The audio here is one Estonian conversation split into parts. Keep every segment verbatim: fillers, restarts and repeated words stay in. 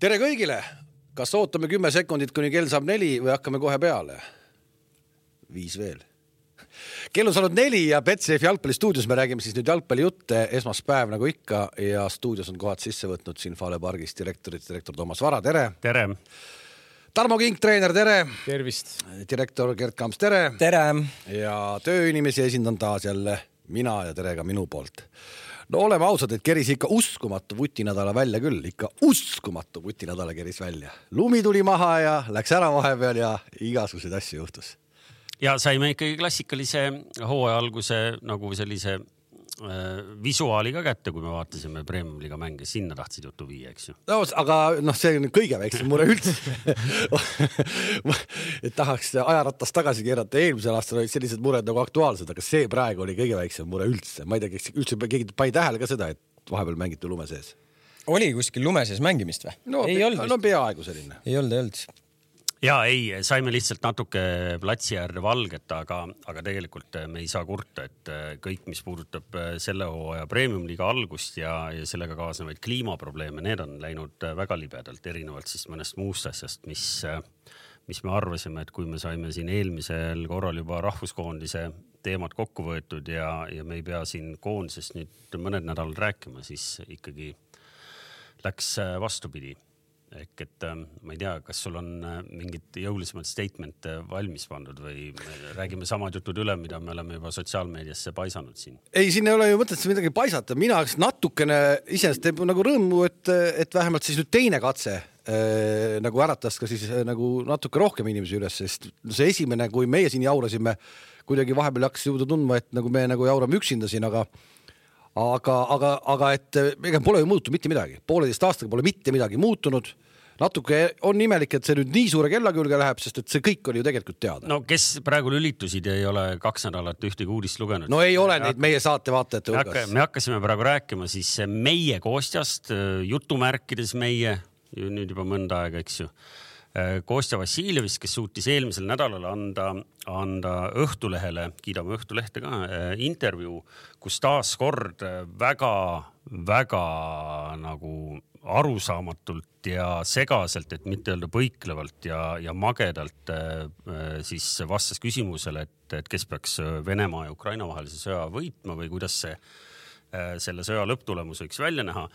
Tere kõigile! Kas ootame kümme sekundit, kuni kell saab neli või hakkame kohe peale? Viis veel. Kell on saanud neli ja Betsafe jalgpallistuudios me räägime siis nüüd jalgpallijutte esmaspäev nagu ikka ja stuudios on kohad sisse võtnud siin Fale Pargis direktorid, direktor Toomas Vara, tere! Tere! Tarmo Kink, treener, tere! Tervist! Direktor Gert Kamps, tere! Tere! Ja tööinimesi esindan taas jälle mina ja tere ka minu poolt. No oleme ausad, et keris ikka uskumatu vutinädala välja küll, ikka uskumatu vutinädala keris välja. Lumi tuli maha ja läks ära vahepeal ja igasuguseid asju juhtus. Ja saime ikkagi klassikalise hooaja alguse nagu sellise äh, visuaali ka kätte, kui me vaatasime Premium-liiga mänge, sinna tahtsid jutu viia, eks ju? No, aga noh, see on kõige väiksem mure üldse. Et tahaks ajaratast tagasi keerata. Eelmisel aastal olid sellised mured nagu aktuaalsed, aga see praegu oli kõige väiksem mure üldse. Ma ei tea, üldse keegi pai tähele ka seda, et vahepeal mängiti lume sees. Oli kuskil lume sees mängimist või? No, ei pe- olnud. No peaaegu selline. Ei olnud, ei olnud. Ja ei, saime lihtsalt natuke platsi äärde valget, aga, aga tegelikult me ei saa kurta, et kõik, mis puudutab selle hooaja Premium-liiga algust ja, ja sellega kaasnevaid kliimaprobleeme, need on läinud väga libedalt, erinevalt siis mõnest muust asjast, mis, mis me arvasime, et kui me saime siin eelmisel korral juba rahvuskoondise teemad kokku võetud ja, ja me ei pea siin koondisest nüüd mõned nädalad rääkima, siis ikkagi läks vastupidi. Ehk et ma ei tea, kas sul on mingid jõulisemad statement valmis pandud või räägime samad jutud üle, mida me oleme juba sotsiaalmeediasse paisanud siin? Ei, siin ei ole ju mõtet midagi paisata. Mina natukene iseenesest teeb nagu rõõmu, et, et vähemalt siis nüüd teine katse äh, nagu äratas ka siis äh, nagu natuke rohkem inimesi üles, sest see esimene, kui meie siin jaurasime, kuidagi vahepeal hakkas jõuda tundma, et nagu me nagu jaurame üksinda siin, aga Aga, aga, aga et ega pole ju muutunud mitte midagi. Pooleteist aastaga pole mitte midagi muutunud. Natuke on imelik, et see nüüd nii suure kella külge läheb, sest et see kõik oli ju tegelikult teada. No kes praegu lülitusid ja ei ole kaks nädalat ühtegi uudist lugenud? No ei ole neid meie saate vaatajate hulgas. Me hakkasime praegu rääkima siis meie Kostjast, jutumärkides meie, nüüd juba mõnda aega, eks ju. Kostja Vassiljevist, kes suutis eelmisel nädalal anda, anda Õhtulehele, kiidame Õhtulehte ka, intervjuu, kus taas kord väga, väga nagu arusaamatult ja segaselt, et mitte öelda põiklevalt ja, ja magedalt siis vastas küsimusele, et, et kes peaks Venemaa ja Ukraina vahelise sõja võitma või kuidas see selle sõja lõpptulemus võiks välja näha.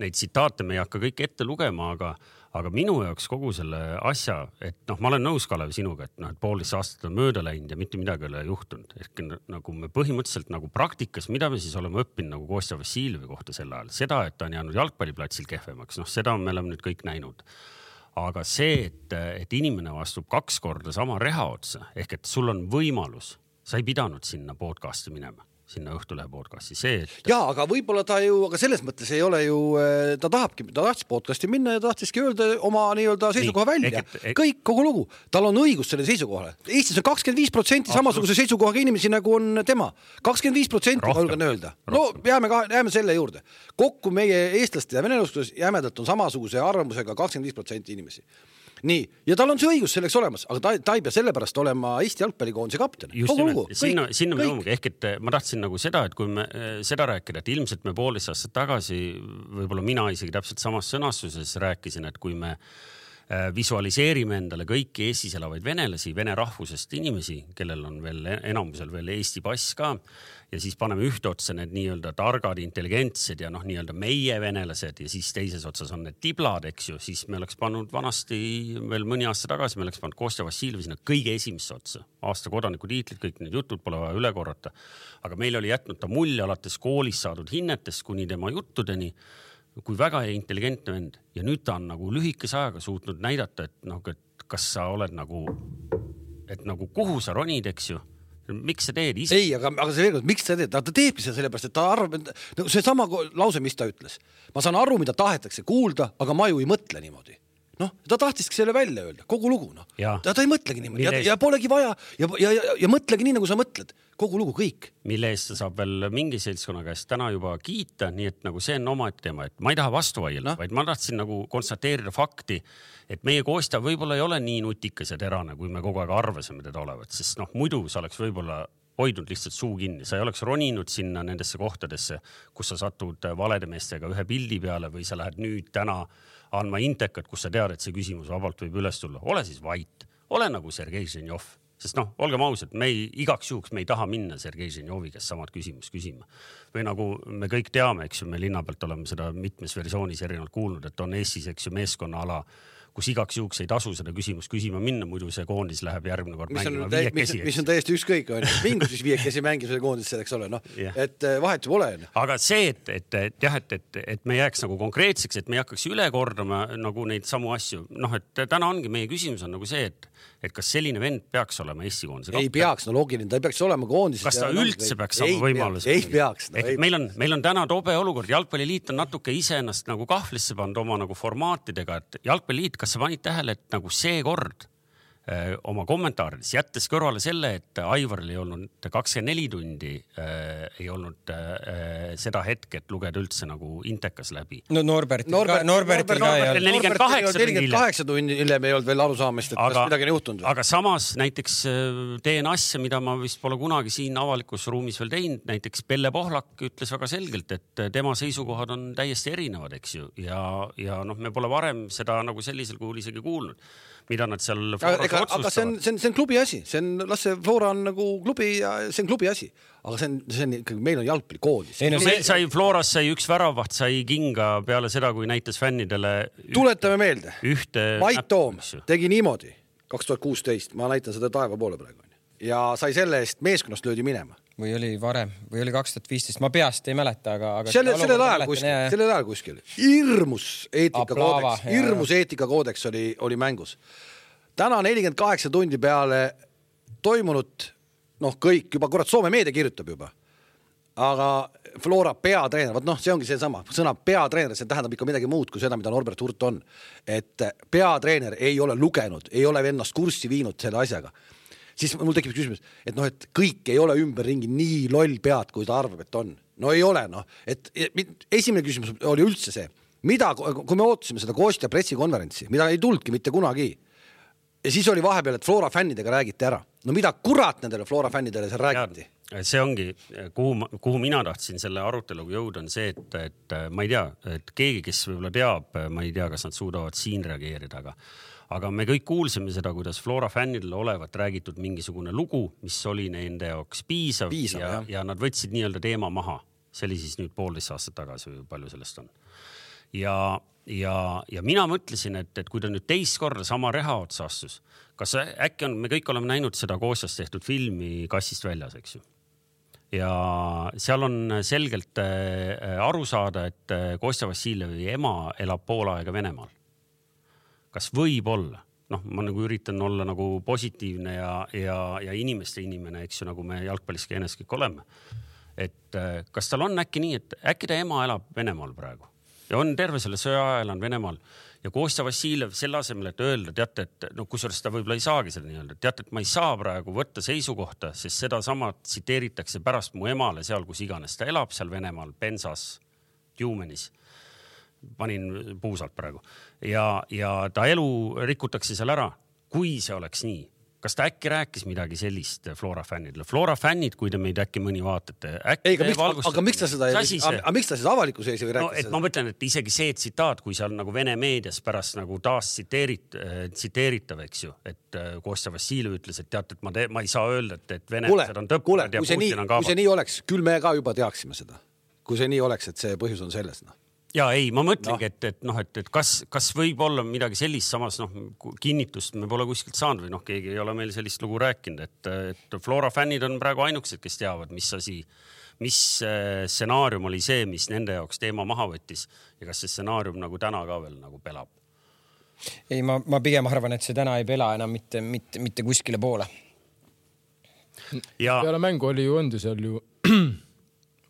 Neid tsitaate me ei hakka kõik ette lugema, aga, aga minu jaoks kogu selle asja, et noh, ma olen nõus Kalev sinuga, et noh, et poolteist aastat on mööda läinud ja mitte midagi ei ole juhtunud. Ehk nagu me põhimõtteliselt nagu praktikas, mida me siis oleme õppinud nagu Kostja Vassiljevi kohta sel ajal, seda, et ta on jäänud jalgpalliplatsil kehvemaks, noh, seda me oleme nüüd kõik näinud. Aga see, et, et inimene vastub kaks korda sama reha otsa, ehk et sul on võimalus, sa ei pidanud sinna podcasti minema. Sinna Õhtulehe podcasti. See, et... Jaa, aga võib-olla ta ju, aga selles mõttes ei ole ju, ta tahabki, ta tahtis podcasti minna ja tahtiski öelda oma nii-öelda seisukoha välja. Ehk, et... Kõik, kogu lugu. Tal on õigus selle seisukohale. Eestis on kakskümmend viis protsenti samasuguse seisukohaga inimesi, nagu on tema. kakskümmend viis protsenti julgen öelda. No jääme, jääme selle juurde. Kokku meie eestlaste ja venelustus jämedalt on samasuguse arvamusega kakskümmend viis protsenti inimesi. Nii, ja tal on see õigus selleks olemas, aga ta, ta ei pea sellepärast olema Eesti jalgpallikoondise kapten. Just nimelt, sinna, sinna me jõuamegi, ehk et ma tahtsin nagu seda, et kui me seda rääkida, et ilmselt me poolteist aastat tagasi, võib-olla mina isegi täpselt samas sõnastuses rääkisin, et kui me visualiseerime endale kõiki Eestis elavaid venelasi, vene rahvusest inimesi, kellel on veel enamusel veel Eesti pass ka, ja siis paneme ühte otsa need nii-öelda targad, intelligentsed ja noh, nii-öelda meie venelased ja siis teises otsas on need tiblad, eks ju, siis me oleks pannud vanasti veel mõni aasta tagasi, me oleks pannud Kostja Vassiljevi sinna kõige esimesse otsa. Aasta kodaniku tiitlid, kõik need jutud pole vaja üle korrata. Aga meil oli jätnud ta mulje alates koolis saadud hinnetest kuni tema juttudeni, kui väga intelligentne vend. Ja nüüd ta on nagu lühikese ajaga suutnud näidata, et, noh, et kas sa oled nagu, et nagu kuhu sa ronid, eks ju. Miks sa teed ise? Ei, aga, aga see veel, miks sa teed? Ta teebki seda sellepärast, et ta arvab, et see sama lause, mis ta ütles. Ma saan aru, mida tahetakse kuulda, aga ma ju ei mõtle niimoodi. Noh, ta tahtiski selle välja öelda, kogu lugu. No. Ta, ta ei mõtlegi niimoodi ja, ja polegi vaja ja, ja, ja, ja mõtlegi nii, nagu sa mõtled. Kogu lugu, kõik. Mille eest ta saab veel mingi seltskonna käest täna juba kiita, nii et nagu see on oma teema, et ma ei taha vastu vaielda, no. Vaid ma tahtsin nagu konstateerida fakti, et meie Kostja võib-olla ei ole nii nutikas ja terane, kui me kogu aeg arvasime teda olevat, sest noh, muidu sa oleks võib-olla hoidnud lihtsalt suu kinni. Sa ei oleks roninud sinna nendesse kohtadesse, kus sa satud valede meestega ühe pildi peale või sa lähed nüüd täna andma intekat, kus sa tead, et see küsimus vabalt võib üles tulla. Ole siis vait, ole nagu Sergei Ženjov, sest noh, olgem ausad, me ei, igaks juhuks me ei taha minna Sergei Ženjovi, kes samad küsimus küsima. Või nagu me kõik teame, eks ju, me linna pealt oleme seda mitmes versioonis erinevalt kuulnud, et on Eestis, eks ju, meeskonna ala, kus igaks juhuks ei tasu seda küsimust küsima minna, muidu see koondis läheb järgmine kord mis mängima on, viiekesi. Mis, mis on täiesti ükskõik, on. Mingu siis viiekesi mängib selle koondis selleks ole, noh. Yeah. Et vahet ju pole. Aga see, et, et, et jah, et, et, et me jääks nagu konkreetseks, et me ei hakkaks üle kordama nagu neid samu asju. Noh, et täna ongi meie küsimus on nagu see, et, et kas selline vend peaks olema Eesti koondise kapten? Ei peaks, no loogiline, ta ei peaks olema koondis. Kas ta üldse peaks saama võimalus? Ei peaks. No, ei. Meil, on, meil on täna tobe olukord. Jalgpalliliit on natuke ise ennast nagu kahvlisse pannud oma nagu formaatidega, et Jalgpalliliit, kas sa panid tähele, et nagu see kord öö, oma kommentaarides jättes kõrvale selle, et Aivaril ei olnud kakskümmend neli tundi, öö, ei olnud öö, seda hetke, et lugeda üldse nagu intekas läbi. No Norbertil Norbert, ka, Norbertil Norbert, ka ei olnud. nelikümmend kaheksa tundi hiljem ei olnud veel arusaamist, et aga, kas midagi on juhtunud. Aga samas näiteks teen asja, mida ma vist pole kunagi siin avalikus ruumis veel teinud. Näiteks Pelle Pohlak ütles väga selgelt, et tema seisukohad on täiesti erinevad, eks ju. Ja, ja noh, me pole varem seda nagu sellisel kuhul isegi kuulnud, mida nad seal Floras aga, otsustavad. Aga see on, see, on, see on klubi asi. See on, las see Flora on nagu klubi ja see on klubi asi. Aga see on, see on ikkagi, meil on jalgpallikoodis. No, meil sai Floras sai üks väravaht, sai kinga peale seda, kui näitas fännidele ühte, tuletame meelde. Ühte Mait Toom tegi niimoodi kaks tuhat kuusteist. Ma näitan seda taeva poole praegu. Ja sai selle eest meeskonnast löödi minema. Või oli varem, või oli kaks tuhat viisteist. Ma peast ei mäleta, aga... aga selle, selle ajal kuskil, selle ajal kuskil. Irmus eetikakoodeks, irmus eetikakoodeks oli, oli mängus. Täna nelikümmend kaheksa tundi peale toimunud, noh kõik, juba kurat Soome meedia kirjutab juba. Aga Flora peatreener, võt noh, see ongi see sama. Sõna peatreener, see tähendab ikka midagi muud kui seda, mida Norbert Hurt on. Et peatreener ei ole lugenud, ei ole ennast kurssi viinud selle asjaga. Siis mul tekib küsimus, et noh, et kõik ei ole ümberringi nii loll pead, kui ta arvab, et on. No ei ole, noh. Et esimene küsimus oli üldse see, mida, kui me ootasime seda Kostja pressikonverentsi, mida ei tulnudki mitte kunagi. Ja siis oli vahepeal, et Flora fännidega räägiti ära. No mida kurat nendele Flora fännidele seal räägiti? See ongi, kuhu, kuhu mina tahtsin selle aruteluga jõuda, on see, et, et ma ei tea, et keegi, kes võib-olla teab, ma ei tea, kas nad suudavad siin reageerida, aga Aga me kõik kuulsime seda, kuidas Flora fännidele olevat räägitud mingisugune lugu, mis oli nende jaoks piisav, piisav ja, ja nad võtsid nii-öelda teema maha. See oli siis nüüd poolteist aastat tagasi, palju sellest on. Ja, ja, ja mina mõtlesin, et, et kui ta nüüd teist korda sama reha otsa astus, kas äkki on, me kõik oleme näinud seda Kostjast tehtud filmi Kassist väljas, eks ju. Ja seal on selgelt aru saada, et Kostja Vassiljevi ema elab pool aega Venemaal. Kas võib olla? Noh, ma nagu üritan olla nagu positiivne ja, ja, ja inimeste inimene, eks ju, nagu me jalgpalliski ennast kõik oleme. Et kas tal on äkki nii, et äkki ta ema elab Venemaal praegu? Ja on terve selle sõja elan Venemaal. Ja Kostja Vassiljev selle asemel, et öelda, teate, et no kusjuures ta võib-olla ei saagi seda nii öelda. Teate, et ma ei saa praegu võtta seisukohta, sest seda sama tsiteeritakse pärast mu emale seal, kus iganes ta elab seal Venemaal, Pensas, Tjumenis. Panin puusalt praegu. Ja, ja ta elu rikutakse seal ära. Kui see oleks nii, kas ta äkki rääkis midagi sellist Flora fännidele? Flora fännid, kui te meid äkki mõni vaatate. Äkki ei, aga miks, aga miks ta seda, aga miks ta siis avalikus ees ei rääkis no, et seda? Ma mõtlen, et isegi see tsitaat, kui seal nagu Vene meedias pärast nagu taas tsiteerit, tsiteeritav, eks ju, et Kostja Vassiljev ütles, et teate, et ma, te, ma ei saa öelda, et, et venelased on tõppad ja Putin on kaabad. Kui see nii oleks, küll me ka juba teaksime seda. Kui see nii oleks, et see põhjus on selles, noh. Ja ei, ma mõtlengi, no. et, et, noh, et, et kas, kas võib olla midagi sellist samas, noh, kinnitust me pole kuskilt saanud või noh, keegi ei ole meil sellist lugu rääkinud, et, et Flora fännid on praegu ainukesed, kes teavad, mis asi, mis stsenaarium oli see, mis nende jaoks teema maha võttis ja kas see stsenaarium nagu täna ka veel nagu pelab? Ei, ma, ma pigem arvan, et see täna ei pela enam mitte, mitte, mitte kuskile poole. Ja peale mängu oli ju õndu seal ju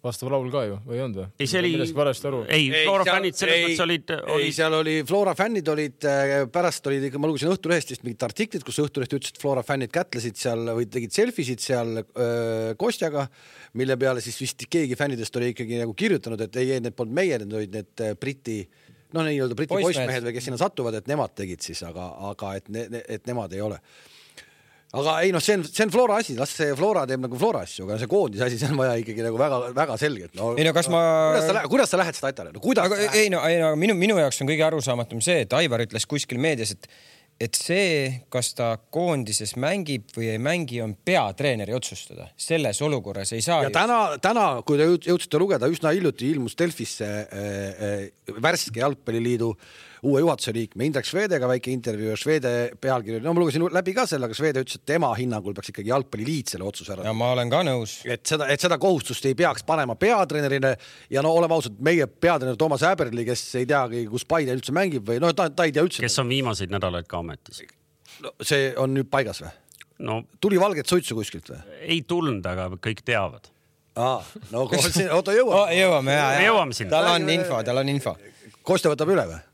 vastav laul ka ju, või on ta? Ei, see oli... Ei, Flora ei, fännid selles mõttes olid, olid... Ei, seal oli, Flora fännid olid, pärast olid, ma lugesin Õhtulehest mingid artiklid, kus Õhtuleht ütles, et Flora fännid kätlesid seal või tegid selfisid seal öö, Kostjaga, mille peale siis vist keegi fännidest oli ikkagi nagu kirjutanud, et ei, need polnud meie, need olid need Briti, noh, nii-öelda Briti poissmehed või kes sinna satuvad, et nemad tegid siis, aga, aga et, ne, et nemad ei ole. aga ei noh, see on, see on Flora asi, las see Flora teeb nagu Flora asju, aga see koondise asi, see on vaja ikkagi nagu väga, väga selgelt. No, ei no kas ma... Kuidas sa, kuidas sa lähed seda Aitale? No, kuidas aga, ei no, ei no minu, minu jaoks on kõige arusaamatum see, et Aivar ütles kuskil meedias, et, et see, kas ta koondises mängib või ei mängi, on peatreeneri otsustada. Selles olukorras ei saa... Ja täna, täna, kui te jõudsite lugeda, üsna hiljuti ilmus Delfisse äh, äh, värske jalgpalliliidu uue juhatuse liikme Indrek Švedega väike intervjuu ja Švede pealkiri, no ma lugesin läbi ka selle, aga Švede ütles, et tema hinnangul peaks ikkagi jalgpalliliit selle otsuse ära. Ja ma olen ka nõus. Et seda, et seda kohustust ei peaks panema peatreenerine ja no oleme ausad, meie peatreener Toomas Häberli, kes ei teagi, kus Paide üldse mängib või no ta, ta ei tea üldse. Kes on viimaseid nädalaid ka ametis? No, see on nüüd paigas või? No, tuli valget suitsu kuskilt või? Ei tulnud, aga kõik teavad. Aa, no oota jõuame. Oh, jõuame, jah, jah. Jõuame sinna. Tal on info, tal on info. Kostja võtab üle või?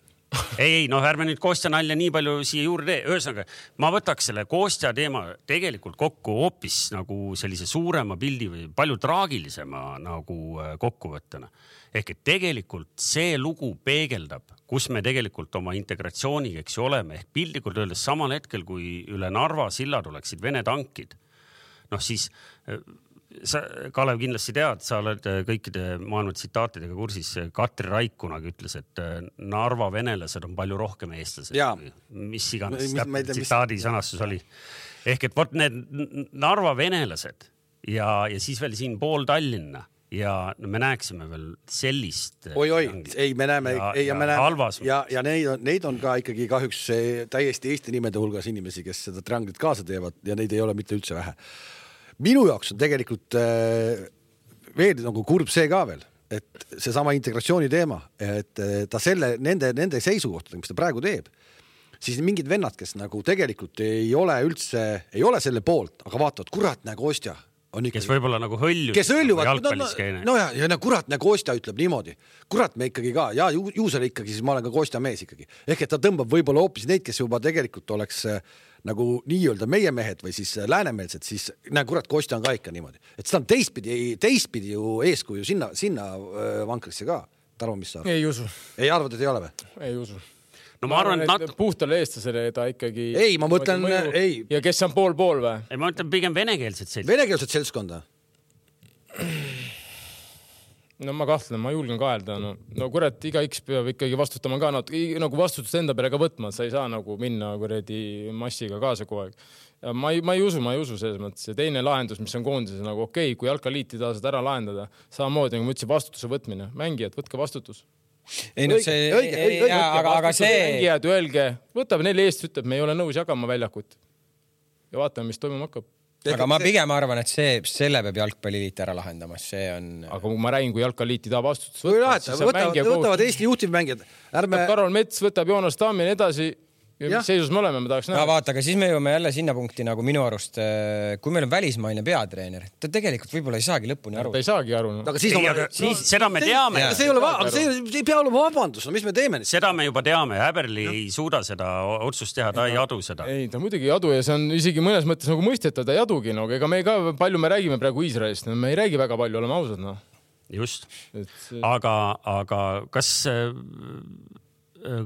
ei, ei, noh, ärme nüüd Kostja nalja nii palju siia juurde tee. Ühesõnaga, ma võtaks selle Kostja teema tegelikult kokku hoopis nagu sellise suurema pildi või palju traagilisema nagu kokkuvõttena. Ehk et tegelikult see lugu peegeldab, kus me tegelikult oma integratsiooniga eks oleme. Ehk pildikult öeldes samal hetkel, kui üle Narva silla tuleksid Vene tankid, noh siis... Sa, Kalev, kindlasti tead, sa oled kõikide maailma tsitaatidega kursis. Katri Raik kunagi ütles, et Narva venelased on palju rohkem eestlased. Ja. Mis iganes tsitaadi sõnastus oli. Ehk et võt need Narva venelased ja, ja siis veel siin pool Tallinna ja me näeksime veel sellist... Oi, oi, ei, me näeme, ja, ei, ja, ja me näeme halvas. Ja, ja neid, on, neid on ka ikkagi kahjuks täiesti Eesti nimede hulgas inimesi, kes seda trianglit kaasa teevad ja neid ei ole mitte üldse vähe. Minu jaoks on tegelikult äh, veel nagu kurb see ka veel, et see sama integratsiooni teema, et ta selle, nende, nende seisukohtadega, mis ta praegu teeb, siis mingid vennad, kes nagu tegelikult ei ole üldse, ei ole selle poolt, aga vaatavad, kurat, näe Kostja. Ikkagi, kes võib-olla nagu hõljuvad. Kes hõljuvad, no, no, no ja, ja kurat, näe Kostja ütleb niimoodi. Kurat, me ikkagi ka, ja ju, ju selle ikkagi, siis ma olen ka Kostja mees ikkagi. Ehk et ta tõmbab võib-olla hoopis neid, kes juba tegelikult oleks nagu nii-öelda meie mehed või siis läänemeelsed, siis näe, kurat, Kostja on ka ikka niimoodi. Et seda on teistpidi, teistpidi ju eeskuju sinna, sinna vankrisse ka. Tarvo, mis sa arvad? Ei usu. Ei arvad, et ei ole või? Ei usu. No ma arvan, et nat... puhtale eestlasele ta ikkagi... Ei, ma mõtlen... Ei. Ja kes on pool-pool või? Ei, ma mõtlen pigem venekeelset seltskonda. Venekeelset seltskonda? No ma kahtlen, ma julgen kaelda. No, no kurat, iga X peab ikkagi vastutama ka. No, nagu vastutust enda peale ka võtma. Sa ei saa nagu minna kuredi massiga kaasa kogu aeg. Ja ma, ei, ma ei usu, ma ei usu selles mõttes. Ja teine lahendus, mis on koondises, nagu okei, okay, kui jalkaliiti taha saad ära lahendada, samamoodi, nagu ma ütlesin, vastutuse võtmine. Mängijad, võtke vastutus. Ei, no see, õige, õige, õige, aga, aga see... Mängijad, öelge, võtab neli eest, ütleb, me ei ole nõus jagama väljakut. Ja vaatame, mis toimuma hakkab. Aga ma pigem arvan, et see, selle peab jalgpalliliit ära lahendama. See on... Aga kui ma räägin, kui jalgpalliliiti taha vastutus võtta, siis võtavad, võtavad Eesti juhtivmängijad. Ärme... Karol Mets võtab Joonas Tammi ja edasi. Ja mis seisus me oleme, me tahaks näha. No, vaata, aga siis me jõuame jälle sinna punkti nagu minu arust, kui meil on välismaine peatreener, ta tegelikult võib-olla ei saagi lõpuni aru. Ta ei saagi aru. No. Aga siis, ei, on... aga, siis seda me teame. See ei, ole va... aga see ei pea olema vabandus, no mis me teeme? Seda me juba teame. Häberli ei suuda seda otsust teha, ta ei adu seda. Ei, ta muidugi ei adu ja see on isegi mõnes mõttes nagu mõistetav, ta ei adugi. No. Ega me ka palju me räägime praegu Iisraelist, no. Me ei räägi väga palju, oleme ausad. No. Just. Et... Aga, aga kas...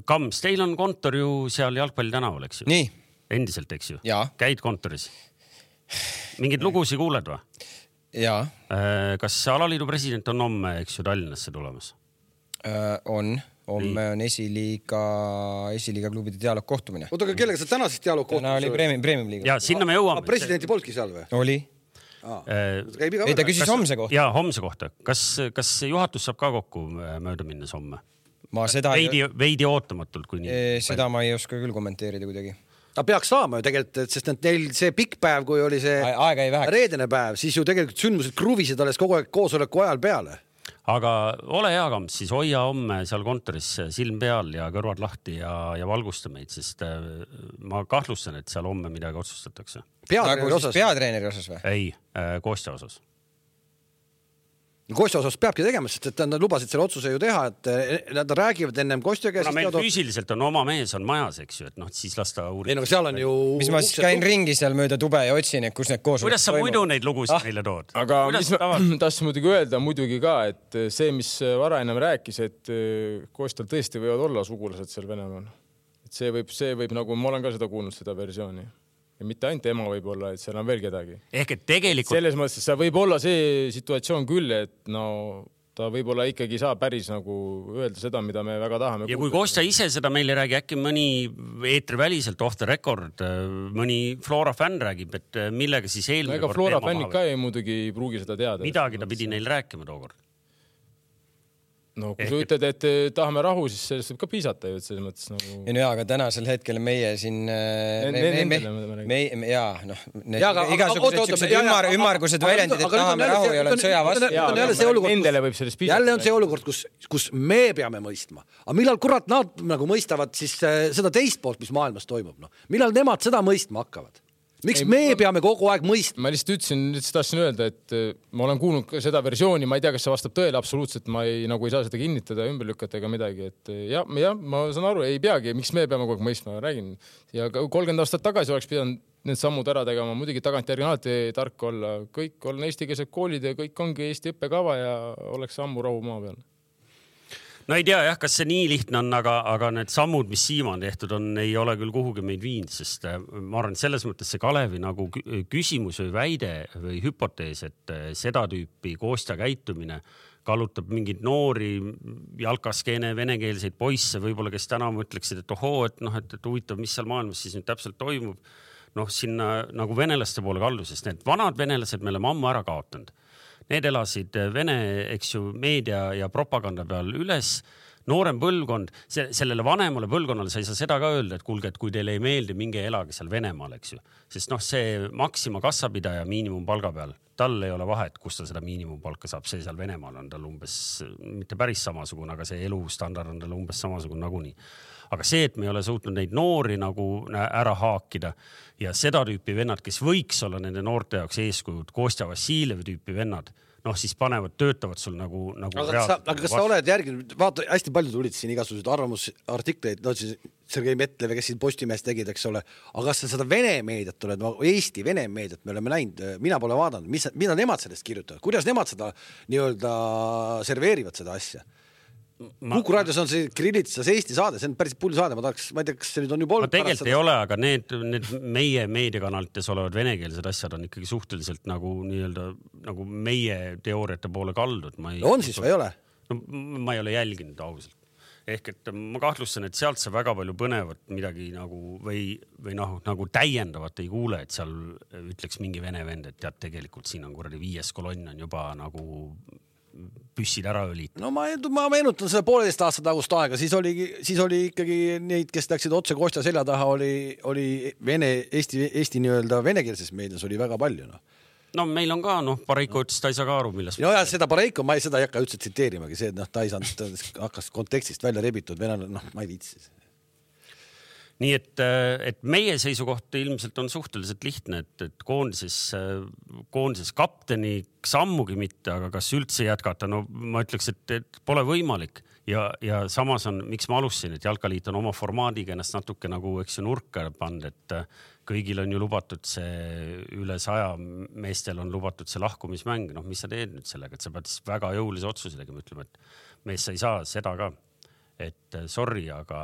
Kams, teil on kontor ju seal Jalgpalli tänaval, eks ju? Nii. Endiselt, eks ju? Jaa. Käid kontoris? Mingid lugusi kuuled või? Jaa. Kas alaliidu president on homme, eks ju, Tallinnasse tulemas? On. Homme on esiliiga, esiliiga klubide dialoog kohtumine. Oota, aga kellega see tänases dialoog kohtumine? Täna oli premium, premium liiga. Ja sinna me jõuame. Presidenti polki seal või? Oli. Ei, ta küsis homse kohta. Jaa, homse kohta. Kas, kas juhatus saab ka kokku mööda minnes homme? Ma seda veidi, veidi ootamatult, kui nii. Seda ma ei oska küll kommenteerida kuidagi. Ta peaks saama ju tegelikult, sest neil see pikk päev, kui oli see reedene päev, siis ju tegelikult sündmused kruvisid alles kogu aeg koosoleku ajal peale. Aga ole hea, Kamps, siis hoia homme seal kontoris silm peal ja kõrvad lahti ja, ja valgusta meid, sest ma kahtlustan, et seal homme midagi otsustatakse. Peatreeneri osas? Peatreeneri osas või? Ei, Kostja osas. Kostja osas peabki tegema, sest et nad lubasid selle otsuse ju teha, et nad räägivad ennem Kostja käest. No meil teadot... füüsiliselt on oma mees on majas, eks ju, et noh, siis lasta uurida. Ei, no seal on ju... Mis ma siis käin ringi seal mööda tube ja otsin, et kus need koosolek kuidas sa muidu neid lugusid ah. meile tood? Aga mis ma tahtsin muidugi öelda muidugi ka, et see, mis Vara ennem rääkis, et Kostjal tõesti võivad olla sugulased seal Venemaal. Et see võib, see võib nagu, ma olen ka seda kuulnud, seda versiooni. ja mitte ainult ema võib-olla, et seal on veel kedagi. Ehk et tegelikult... Selles mõttes, see võib olla see situatsioon küll, et no ta võib-olla ikkagi saa päris nagu öelda seda, mida me väga tahame. Ja kui Kostja ise seda meile räägi, äkki mõni eetriväliselt off the record, mõni Flora fänn räägib, et millega siis eelmine no ega Flora fännid ka ei muidugi ei pruugi seda teada. Midagi ta pidi neil rääkima tookord. No kui sa ütled, et tahame rahu, siis sellest võib ka piisata ju, et selles mõttes nagu... Ja no jaa, aga tänasel hetkel meie siin... Jaa, noh... Igasugused ümmargused väljendid, et tahame rahu ja oleme sõja vastu. Nendele võib sellest piisata. Jälle on see olukord, kus, kus me peame mõistma. Aga millal kurat nad nagu mõistavad siis seda teist poolt, mis maailmas toimub? No? Millal nemad seda mõistma hakkavad? Miks ei, me ma, peame kogu aeg mõistma? Ma lihtsalt ütlesin, lihtsalt tahtsin öelda, et ma olen kuulnud seda versiooni, ma ei tea, kas see vastab tõele absoluutselt, ma ei, nagu ei saa seda kinnitada, ümber lükata ega midagi, et ja, ja ma saan aru, ei peagi, miks me peame kogu aeg mõistma, räägin. Ja kolmkümmend aastat tagasi oleks pidanud need sammud ära tegema, muidugi tagantjärgi on alati tark olla, kõik on eestikeelsed koolid ja kõik ongi Eesti õppekava ja oleks ammu rahu maa peal. No ei tea jah, kas see nii lihtne on, aga, aga need sammud, mis siima on tehtud, on, ei ole küll kuhugi meid viinud, sest ma arvan, selles mõttes see Kalevi nagu küsimus või väide või hüpotees, et seda tüüpi Kostja käitumine kallutab mingid noori jalkaskeene venekeelseid poisse, võib-olla kes täna mõtleksid, et ohoo, et, noh, et, et huvitav, mis seal maailmas siis nüüd täpselt toimub. Noh, sinna nagu venelaste poole kaldu, sest need vanad venelased me oleme ammu ära kaotanud. Need elasid Vene, eks ju, meedia ja propaganda peal üles. Noorem põlvkond, sellele vanemale põlvkonnale sa ei saa seda ka öelda, et kuulge, et kui teile ei meeldi, minge elage seal Venemaal, eks ju. Sest noh, see Maxima kassapidaja miinimumpalga peal, tal ei ole vahet, kus ta seda miinimumpalka saab, see seal Venemaal on tal umbes, mitte päris samasugune, aga see elustandard on tal umbes samasugune nagunii. Aga see, et me ei ole suutnud neid noori nagu ära haakida ja seda tüüpi vennad, kes võiks olla nende noorte jaoks eeskujud, Kostja Vassiljevi tüüpi vennad, noh siis panevad, töötavad sul nagu, nagu aga, sa, aga kas sa oled järginud, vaata, hästi palju tulid siin igasugused arvamusartikleid, no siis Sergei Metlev, kes siin Postimees tegid, eks ole, aga kas sa seda Vene meediat oled, Eesti Vene meediat me oleme näinud, mina pole vaadanud, mis, mida nemad sellest kirjutavad, kuidas nemad seda nii-öelda serveerivad seda asja? Ma... Kuku raadios on see Kirillitsas Eesti saade, see on päris pull saade, ma tahaks, ma ei tea, kas see nüüd on juba olnud. Ma tegelikult ei ole, aga need, need meie meediakanalites olevad venekeelsed asjad on ikkagi suhteliselt nagu, nii-öelda, nagu meie teooriate poole kaldud. Ma ei... no on siis või ei ole? No, ma ei ole jälginud ausalt. Ehk et ma kahtlustan, et sealt see väga palju põnevat midagi nagu või, või noh, nagu täiendavat ei kuule, et seal ütleks mingi vene vend, et tead, tegelikult siin on kuradi viies kolonn on juba nagu püssid ära õlit. No ma, ma meenutan seda pooleteist aastat tagust aega, siis oli, siis oli ikkagi neid, kes läksid otse Kostja selja taha, oli, oli Vene, Eesti, Eesti nii-öelda venekeelses meedias oli väga palju. No, no meil on ka, noh, Pareiko ütles, ta ei saa ka aru, milles. No ja seda Pareiko, ma ei, seda ei hakka üldse tsiteerimagi, see, et noh, ta ei saanud, hakkas kontekstist välja rebitud, venel, noh, ma ei viitsi. Nii et, et meie seisukoht ilmselt on suhteliselt lihtne, et, et koondises, koondises kapteni sammugi mitte, aga kas üldse jätkata, no ma ütleks, et, et pole võimalik ja, ja samas on, miks ma alustasin, et Jalkaliit on oma formaadiga ennast natuke nagu, eks ju, nurka pand, et kõigil on ju lubatud see üle saja meestel on lubatud see lahkumismäng, noh, mis sa teed nüüd sellega, et sa pead väga jõulise otsuse tegema, ütleme, et mees sa ei saa seda ka. Et sorry, aga,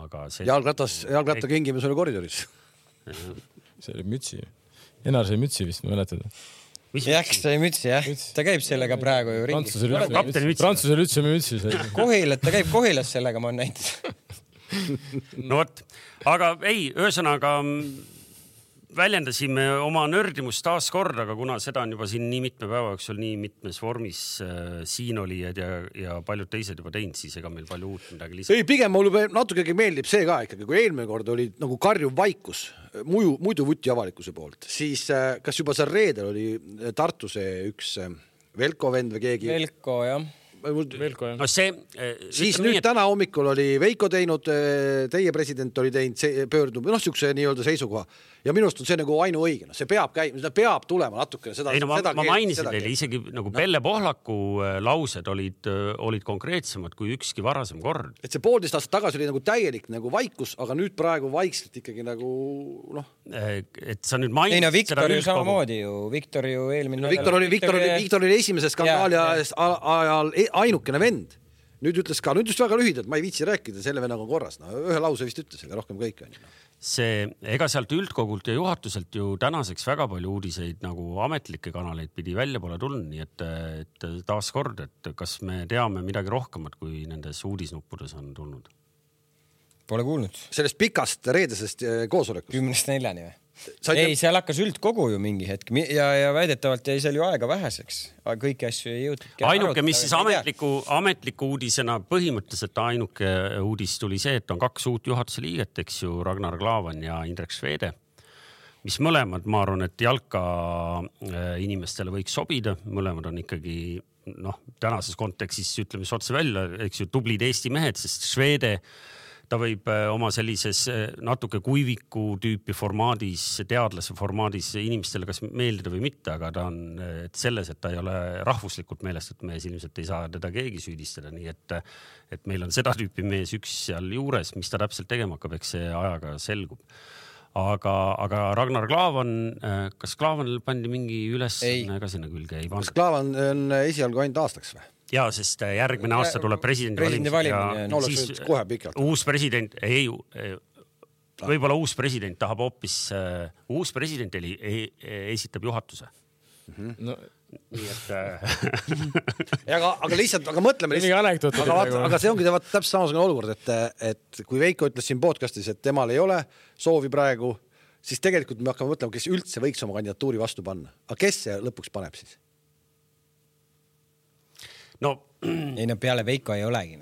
aga see... Jalgratas, jalgratta kingimus oli koridoris. See oli mütsi. Enar sai mütsi vist, ma mäletada. Jah, sai mütsi, jah. Ta käib sellega praegu ju ringi. Prantsusel üldse mütsi. Kohilat, ta käib Kohilas sellega, ma on näinud. No võt, aga ei, ühesõnaga väljendasime oma nördimust taas kord, aga kuna seda on juba siin nii mitme päeva jooksul nii mitmes vormis äh, siin olijad ja, ja paljud teised juba teinud, siis ega meil palju uut midagi lisada. Ei, pigem mulle natukegi meeldib see ka ikkagi, kui eelmine kord oli nagu karjuv vaikus, muidu, muidu vuti avalikkuse poolt, siis äh, kas juba seal reedel oli Tartuse üks äh, Velko vend või keegi? Velko, jah. Velko, no see, siis nüüd et... täna hommikul oli Veiko teinud, teie president oli teinud, pöördunud, noh, siukse nii-öelda seisukoha. Ja minust on see nagu ainu õige. No, see peab käima, seda peab tulema natukene. Seda, ei, no, ma, seda ma mainisin teile isegi nagu no. Pelle Pohlaku laused olid, olid konkreetsemad kui ükski varasem kord. Et see poolteist aastat tagasi oli nagu täielik nagu vaikus, aga nüüd praegu vaikselt ikkagi nagu noh. Et sa nüüd mainisid... Ei, no Viktor ju samamoodi ju. Viktor ju eelmine... No, Viktor oli, Viktor oli, Viktor oli esimese skandaali ajal ainukene vend. nüüd ütles ka, nüüd just väga lühidalt, ma ei viitsi rääkida, selle vennaga on korras. No, ühe lause vist ütles, aga rohkem kõik on. See, ega sealt üldkogult ja juhatuselt ju tänaseks väga palju uudiseid nagu ametlikke kanaleid pidi välja pole tulnud, nii et, et taas kord, et kas me teame midagi rohkemat, kui nendes uudisnuppudes on tulnud? Pole kuulnud. Sellest pikast reedesest koosolekust. Kümnest neljani või? Ei, seal hakkas üldkogu ju mingi hetk ja, ja väidetavalt jäi seal ju aega väheseks. Kõiki asju ei jõutud. Ainuke, mis siis ametliku, ametliku uudisena põhimõtteliselt ainuke uudis tuli see, et on kaks uut juhatuse liiget, eks ju, Ragnar Klavan ja Indrek Švede, mis mõlemad, ma arvan, et jalka inimestele võiks sobida. Mõlemad on ikkagi, noh, tänases kontekstis ütleme otse välja, eks ju, tublid Eesti mehed, sest Švede ta võib oma sellises natuke kuiviku tüüpi formaadis, teadlase formaadis inimestele kas meeldida või mitte, aga ta on et selles, et ta ei ole rahvuslikult meelest, et mees ilmselt ei saa teda keegi süüdistada. Nii et, et meil on seda tüüpi mees üks seal juures, mis ta täpselt tegema hakkab, eks see ajaga selgub. Aga, aga Ragnar Klavan, kas Klaavanil pandi mingi üles ka sinna külge? Ei kas Klaavan on esialgu ainult aastaks või? Ja, sest järgmine aasta tuleb presidendi, presidendi valimine. No, siis kohe pikalt. Uus president, ei, võib-olla uus president tahab hoopis, uus president eli, esitab juhatuse. Mm-hmm. No. Nii et... aga, aga lihtsalt, aga mõtleme lihtsalt. Aga, vaata, aga see ongi täpselt samasugune olukord, et, et kui Veiko ütles siin podcastis, et temal ei ole soovi praegu, siis tegelikult me hakkame mõtlema, kes üldse võiks oma kandidatuuri vastu panna. Aga kes see lõpuks paneb siis? No, ei no peale Veiko ei olegi.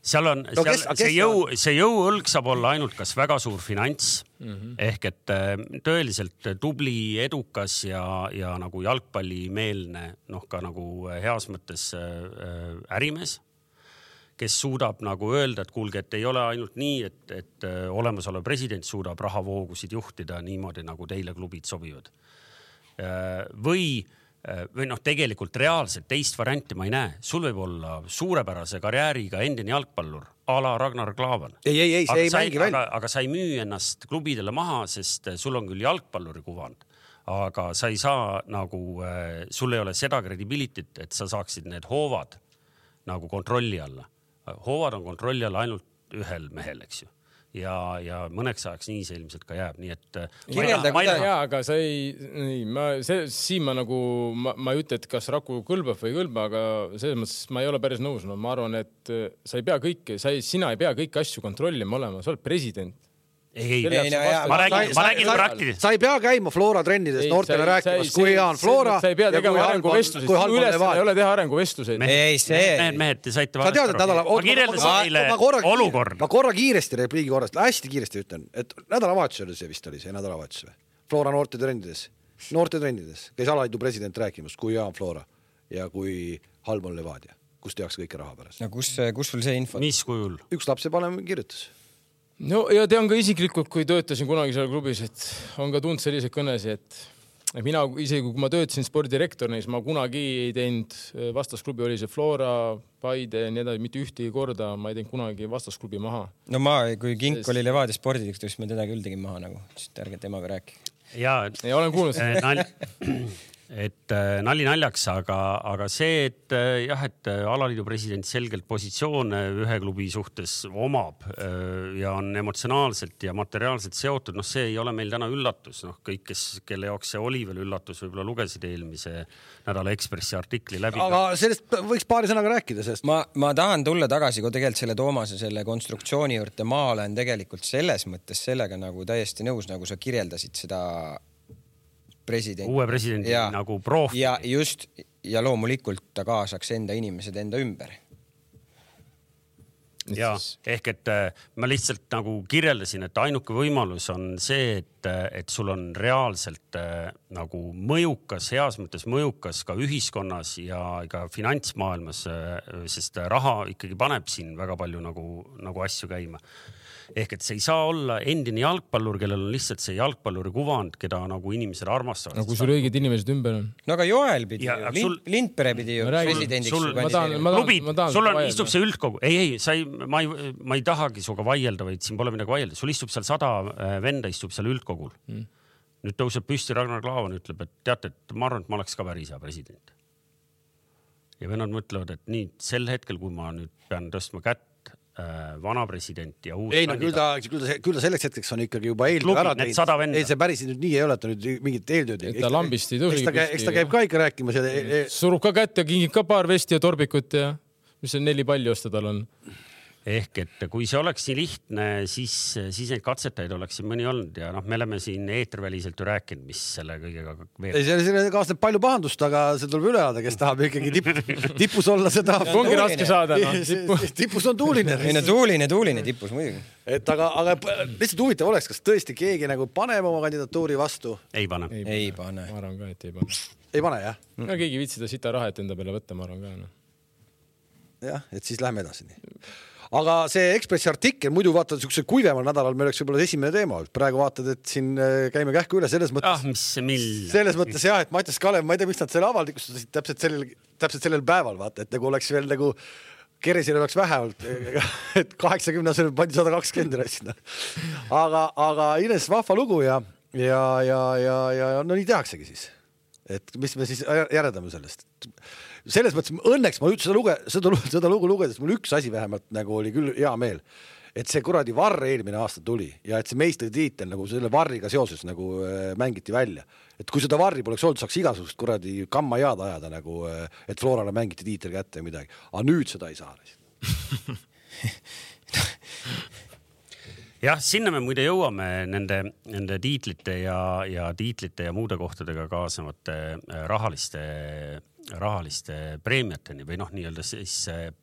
Seal on, no, kes, seal, see, jõu, see jõuõlg saab olla ainult kas väga suur finants, mm-hmm. ehk et tõeliselt tubli, edukas ja, ja nagu jalgpallimeelne, noh ka nagu heas mõttes ärimees, kes suudab nagu öelda, et kuulge, et ei ole ainult nii, et, et olemasolev president suudab rahavoogusid juhtida niimoodi, nagu teile klubid sobivad. Või või noh, tegelikult reaalselt teist varianti ma ei näe. Sul võib olla suurepärase karjääriga endine jalgpallur, a la Ragnar Klavan. Ei, ei, ei, see ei sai, mängi välja. Aga, aga sa ei müü ennast klubidele maha, sest sul on küll jalgpalluri kuvand, aga sa ei saa nagu, sul ei ole seda kredibilitit, et sa saaksid need hoovad nagu kontrolli alla. Hoovad on kontrolli alla ainult ühel mehel, eks ju. Ja, ja mõneks ajaks nii see ilmselt ka jääb, nii et Kirjelda, ma ei tea, aga sa ei, nii, ma, see, siin ma nagu, ma, ma ei ütle, et kas Raku kõlbab või ei kõlba, aga selles mõttes ma ei ole päris nõus. No, ma arvan, et sa ei pea kõike, sa ei, sina ei pea kõiki asju kontrollima olema, sa oled president. Ei, ei, ei, ma räägin, ma räägin praktiliselt. Sa ei pea käima Flora trennides noortele rääkimas, kui hea on Flora. Sa ei pea tegema arenguvestluseid. Sinu ülesanne ei ole teha arenguvestluseid. Ei, see. Need mehed, te saite sa tead, et nädala... Ma kirjeldasin teile olukord. Ma korra kiiresti, repliigi korrast, hästi kiiresti ütlen, et nädalavahetus oli see vist oli see nädalavahetus või? Flora noorte trennides. Noorte trennides. Käis Alaliidu president rääkimas, kui hea on Flora ja kui halb on Levadia. Kus tehakse kõike raha pärast. No kus, kus sul see info? Mis kujul? Üks lapse panem kirjutas. No ja tean ka isiklikult, kui töötasin kunagi seal klubis, et on ka tund selliseid kõnesi, et mina isegi kui ma töötasin spordirektorina, siis ma kunagi ei teinud, vastasklubi oli see Flora, Paide ja nii edasi, mitte ühtegi korda, ma ei teinud kunagi vastasklubi maha. No ma, kui Kink Sest... oli Levadia spordidikt, siis me teda küll tegin maha nagu, siis ärge temaga rääki. Ja, ja olen kuulnud nal... et nali naljaks, aga, aga see, et jah, et Alaliidu president selgelt positsioone ühe klubi suhtes omab ja on emotsionaalselt ja materiaalselt seotud, noh see ei ole meil täna üllatus, noh kõik, kes, kelle jaoks see oli veel üllatus, võib-olla lugesid eelmise nädala Ekspressi artikli läbi. Aga sellest võiks paari sõnaga rääkida, sest ma, ma tahan tulla tagasi, kui tegelikult selle Toomase selle konstruktsiooni juurde ma olen tegelikult selles mõttes sellega nagu täiesti nõus, nagu sa kirjeldasid seda president. Uue presidendi ja, nagu profi. Ja just, ja loomulikult ta kaasaks enda inimesed enda ümber. Ja, ehk et ma lihtsalt nagu kirjeldasin, et ainuke võimalus on see, et, et sul on reaalselt nagu mõjukas, heas mõttes mõjukas ka ühiskonnas ja ka finantsmaailmas, sest raha ikkagi paneb siin väga palju nagu, nagu asju käima. Ehk et see ei saa olla endine jalgpallur, kellel on lihtsalt see jalgpalluri kuvand, keda nagu inimesed armastavad. No kui sul õiged inimesed ümber on. No aga Joel pidi ja, ju, sul... Lindpere pidi ju presidendiks. Sul, ma tahan, ma tahan, klubid, ma tahan, sul on, istub see üldkogu. Ei, ei, sa ei, ma, ei, ma ei tahagi suga vaielda, vaid siin pole midagi vaielda. Sul istub seal sada venda, istub seal üldkogul. Mm. Nüüd tõuseb püsti Ragnar Klavan, ütleb, et teate, et ma arvan, et ma oleks ka päris hea president. ja vennad mõtlevad, et nii sel hetkel, kui ma nüüd pean tõstma kätt vana president ja uus ei, no, küll, ta, küll, ta, küll ta selleks hetkeks on ikkagi juba eeltöö ära teinud. Ei, see päris nüüd nii ei ole, et ta nüüd mingit eeltööd. Ta lambist ei tõusi. Eks ta käib ka ikka rääkimas. Ja... Surub ka kätt ja kingib ka paar vesti ja torbikut ja mis on neli palju osta tal on. Ehk, et kui see oleks nii lihtne, siis, siis neid katsetajaid oleks siin mõni olnud ja noh, me oleme siin eeterväliselt ju rääkinud, mis selle kõigega veel. Ei, selle kaasneb palju pahandust, aga see tuleb üle anda, kes tahab ikkagi tipp, tipus olla seda. Ongi raske saada. No. Tipus on tuuline. Ei, no tuuline, tuuline tipus muidugi. Et aga, aga lihtsalt huvitav oleks, kas tõesti keegi nagu paneb oma kandidatuuri vastu? Ei pane. Ei, ei pane. Ma arvan ka, et ei pane. Ei pane, jah? No keegi viitsida sita raha, et enda peale võtta, ma arvan ka. No. Jah, et siis lähme edasi nii. Aga see Ekspressi artikkel, muidu vaatad niisuguse kuivemal nädalal, me oleks võib-olla esimene teema. Praegu vaatad, et siin käime kähku üle selles mõttes. Ah, mis mill. Selles mõttes jah, et Mattias Kalev, ma ei tea, mis nad selle avalikustasid täpselt sellel, täpselt sellel päeval, vaata, et nagu oleks veel nagu Keresile oleks vähe olnud, et kaheksakümne asemel pandi sada kakskümmend sinna. Aga, aga Ines vahva lugu ja, ja, ja, ja, ja no nii tehaksegi siis. Et mis me siis järedame sellest. Selles mõttes õnneks ma seda, luge, seda, seda lugu lugedes mul üks asi vähemalt nagu oli küll hea meel, et see kuradi varr eelmine aasta tuli ja et see meistritiitel nagu selle varriga seoses nagu äh, mängiti välja. Et kui seda varri poleks olnud, saaks igasugust kuradi kamma jaad ajada nagu, äh, et Florale mängiti tiitel kätte ja midagi. Aga nüüd seda ei saa. Jah, sinna me muide jõuame nende, nende tiitlite ja, ja tiitlite ja muude kohtadega kaasavate rahaliste rahaliste preemiateni või noh, nii-öelda siis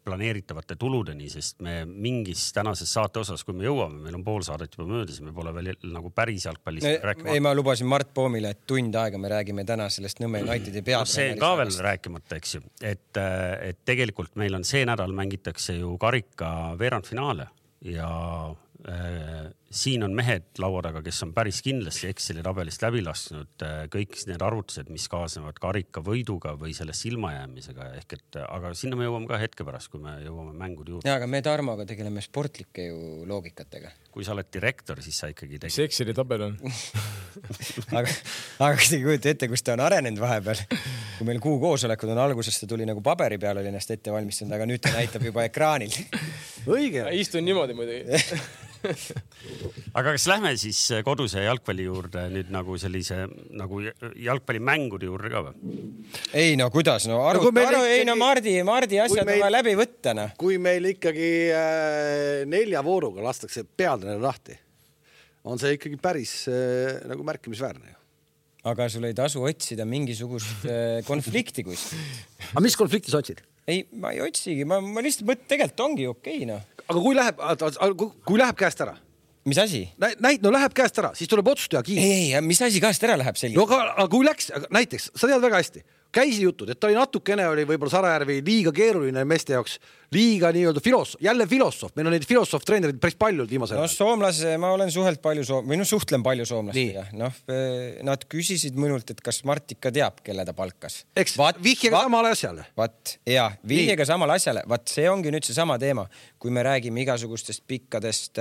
planeeritavate tuludeni, sest me mingis tänases saate osas, kui me jõuame, meil on pool saadet juba möödas, me pole veel nagu päris jalgpallist ei, rääkima. Ei, ma lubasin Mart Poomile, et tund aega me räägime täna sellest Nõmme Unitedi pead. No, see ka veel rääkimata, eks ju, et, et tegelikult meil on see nädal mängitakse ju karika veerandfinaale ja äh, siin on mehed laua taga, kes on päris kindlasti Exceli tabelist läbi lasknud kõik need arvutused, mis kaasnevad karika võiduga või sellest ilmajäämisega. Ehk et, aga sinna me jõuame ka hetke pärast, kui me jõuame mängude juurde. Ja, aga me Tarmoga tegeleme sportlike ju loogikatega. Kui sa oled direktor, siis sa ikkagi tegid. Mis Exceli tabel on? aga, aga kas te kujuta ette, kus ta on arenenud vahepeal? Kui meil kuu koosolekud on algusest, ta tuli nagu paberi peal oli ennast ette valmistanud, aga nüüd ta näitab juba ekraanil. Õige. Istun niimoodi muidugi. Aga kas lähme siis koduse jalgpalli juurde nüüd nagu sellise nagu jalgpallimängude juurde ka või? Ei no kuidas, no aru, no, aru ei no Mardi, Mardi asjad meil, on läbi võtta. No. Kui meil ikkagi äh, nelja vooruga lastakse pealdane lahti, on see ikkagi päris äh, nagu märkimisväärne. Aga sul ei tasu otsida mingisugust äh, konflikti kuskil. Aga mis konflikti sa otsid? Ei, ma ei otsigi, ma, ma lihtsalt mõt, tegelikult ongi okei, no. Aga kui läheb, kui läheb käest ära? Mis asi? Näit, no läheb käest ära, siis tuleb otsustaja kiir. Ei, ei, mis asi käest ära läheb selline? No aga, aga kui läks, näiteks, sa tead väga hästi, käisi jutud, et ta oli natukene, oli võib-olla Sarajärvi liiga keeruline meeste jaoks, liiga nii-öelda filosoof, jälle filosoof, meil on neid filosoof-treenerid päris palju viimasel. No soomlase, ma olen suhelt palju soom... või no suhtlen palju soomlastega. Noh, nad küsisid minult, et kas Mart ikka teab, kelle ta palkas. Eks, Vat, vihjega vat, samale asjale. Vat, ja, vihjega samale asjale. Vat, see ongi nüüd see sama teema. Kui me räägime igasugustest pikkadest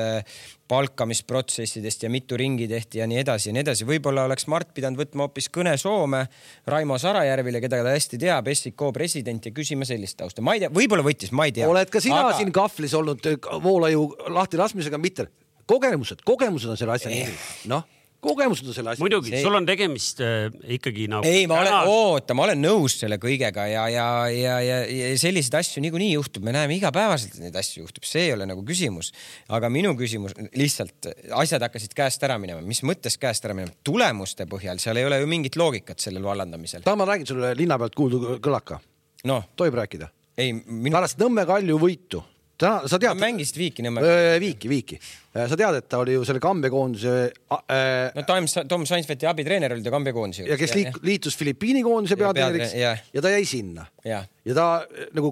palkamisprotsessidest ja mitu ringi tehti ja nii edasi ja nii edasi. Võib-olla oleks Mart pidanud võtma hoopis kõne Soome Raimo Sarajärvile, keda ta hästi teab, S I K president ja küsima sellist tausta. Ma ei tea, võib-olla võttis, ma ei tea. Oled ka sina aga... siin kahvlis olnud voolaju lahti laskmisega, mitte kogemused, kogemused on selle asja nimi. Noh, kogemused on selle asja. Muidugi, see... sul on tegemist äh, ikkagi nagu... Ei, ma olen, oota, ma olen nõus selle kõigega ja, ja, ja, ja, ja selliseid asju niikuinii juhtub. Me näeme igapäevaselt, et neid asju juhtub. See ei ole nagu küsimus. Aga minu küsimus, lihtsalt asjad hakkasid käest ära minema. Mis mõttes käest ära minema? Tulemuste põhjal, seal ei ole ju mingit loogikat sellel vallandamisel. Ta ma räägin sulle linna pealt kuuldu kõlaka. No. Tohib rääkida? Ei, minu... Pärast Nõmme Kalju võitu. Ta, sa tead... Mängist viiki Nõmme. Viiki, viiki. Sa tead, et ta oli ju selle kambekoondise... Äh... No Tom, Tom Sainsveti abitreener oli ta kambekoondise. Ja kes liik, liitus Filipiini koondise peatreeneriks ja, ja ta jäi sinna. Ja, ja ta nagu,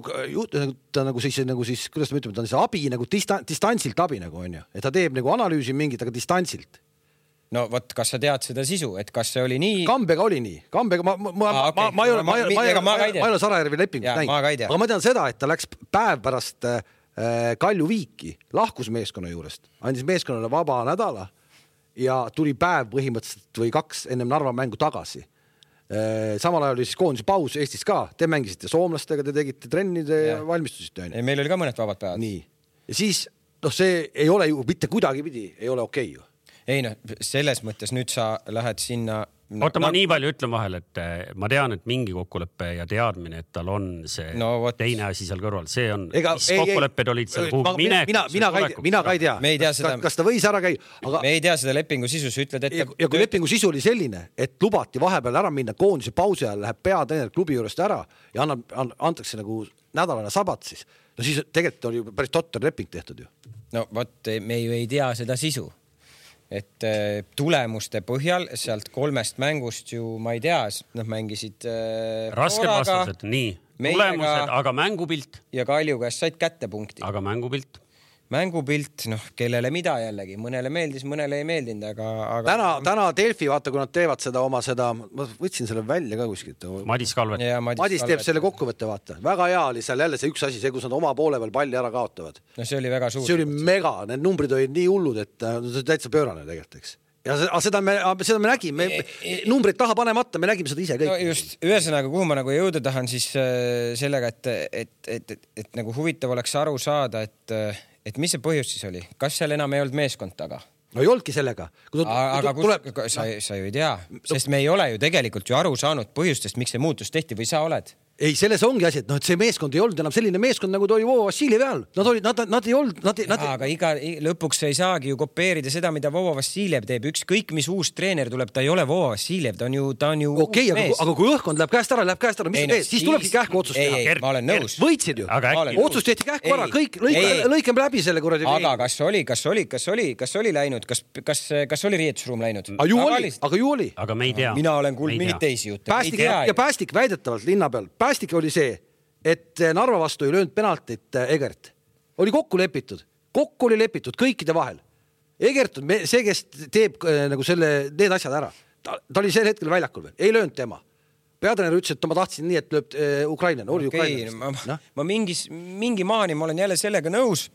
ta nagu siis, nagu siis, kuidas me ütleme, ta on see abi nagu distan, distantsilt abi nagu on ju. Et ta teeb nagu analüüsi mingit, aga distantsilt. No võt, kas sa tead seda sisu, et kas see oli nii? Kambega oli nii. Kambega, ma, ma, ah, okay. ma, ma ei ole, ma, ma, ma, ma, ma ei ole Sarajärvi lepingut näinud. Aga ma tean seda, et ta läks päev pärast äh, Kalju viiki, lahkus meeskonna juurest, andis meeskonnale vaba nädala ja tuli päev põhimõtteliselt või kaks ennem Narva mängu tagasi. Samal ajal oli siis koondise paus Eestis ka. Te mängisite soomlastega, te tegite trennide ja valmistusite. Meil oli ka mõned vabad päevad. Nii. Ja siis, noh, see ei ole ju mitte kuidagi pidi, ei ole okei ju. Ei noh, selles mõttes nüüd sa lähed sinna... Oota, ma nii palju ütlen vahel, et ma tean, et mingi kokkuleppe ja teadmine, et tal on see no, teine asi seal kõrval. See on, Ega, mis ei, kokkulepped ei, olid seal kuhu minek. Mina, mina, mina, mina ka ei tea, me ei tea kas, seda, kas ta võis ära käia. Aga... Me ei tea seda lepingu sisu, sa ütled, et... Ja, ja kui lepingu sisu oli selline, et lubati vahepeal ära minna koondise pausi ajal, läheb peatreener klubi juurest ära ja annab, antakse nagu nädalane sabat siis. No siis tegelikult oli päris totter leping tehtud ju. No võt, me ju ei tea seda sisu. Et tulemuste põhjal sealt kolmest mängust ju, ma ei tea, noh mängisid rasked vastused, nii, tulemused, aga mängupilt. Ja Kalju käest said kätte punkti. Aga mängupilt? Mängupilt, noh, kellele mida jällegi. Mõnele meeldis, mõnele ei meeldinud, aga... aga... Täna, täna Delfi, vaata, kui nad teevad seda oma seda... Ma võtsin selle välja ka kuskilt. Madis Kalvet. Ja, Madis, Madis teeb selle kokkuvõtte, vaata. Väga hea oli seal jälle see üks asi, see, kus nad oma poole veel palli ära kaotavad. No see oli väga suur. See oli mega, need numbrid olid nii hullud, et see täitsa pöörane tegelikult, eks. Ja seda me, seda me nägime, me, numbrid taha panemata, me nägime seda ise kõik. No just, ühesõnaga, kuhu ma nagu jõuda tahan siis sellega, et, et, et, et, et nagu huvitav oleks aru saada, et, et mis see põhjus siis oli? Kas seal enam ei olnud meeskond taga? No ei olnudki sellega. Kui aga kus, tuleb... sa, sa ju ei tea, sest me ei ole ju tegelikult ju aru saanud põhjustest, miks see muutus tehti või sa oled? Ei, selles ongi asi, et noh, et see meeskond ei olnud enam selline meeskond, nagu ta oli Vovo Vassiljevi ajal. Nad olid, nad, nad ei olnud, nad, nad... Ja, aga iga, lõpuks ei saagi ju kopeerida seda, mida Vovo Vassiljev teeb. Ükskõik, mis uus treener tuleb, ta ei ole Vovo Vassiljev, ta on ju, ta on ju okei, okay, aga, aga kui õhkond läheb käest ära, läheb käest ära, mis ei, no, siis tulebki kähku otsust teha. Ei, ei, ma olen nõus. Võitsid ju. Otsus tehti kähku ära, kõik lõikame läbi selle kuradi. Aga kas oli, kas oli, kas oli, kas oli läinud, kas, kas, kas oli riietusruum läinud? Aga ju oli, aga ju oli. Aga me ei tea. Mina olen kuulnud mingit teisi jutte. Ja Päästik väidetavalt linna peal. Päästik oli see, et Narva vastu ei löönud penaltit Egert. Oli kokku lepitud. Kokku oli lepitud kõikide vahel. Egert on see, kes teeb nagu selle, need asjad ära. Ta, ta oli sel hetkel väljakul veel. Ei löönud tema. Peatreener ütles, et ma tahtsin nii, et lööb Ukraina. Oli okay, Ukraina. Ma, no? ma mingis, mingi maani ma olen jälle sellega nõus.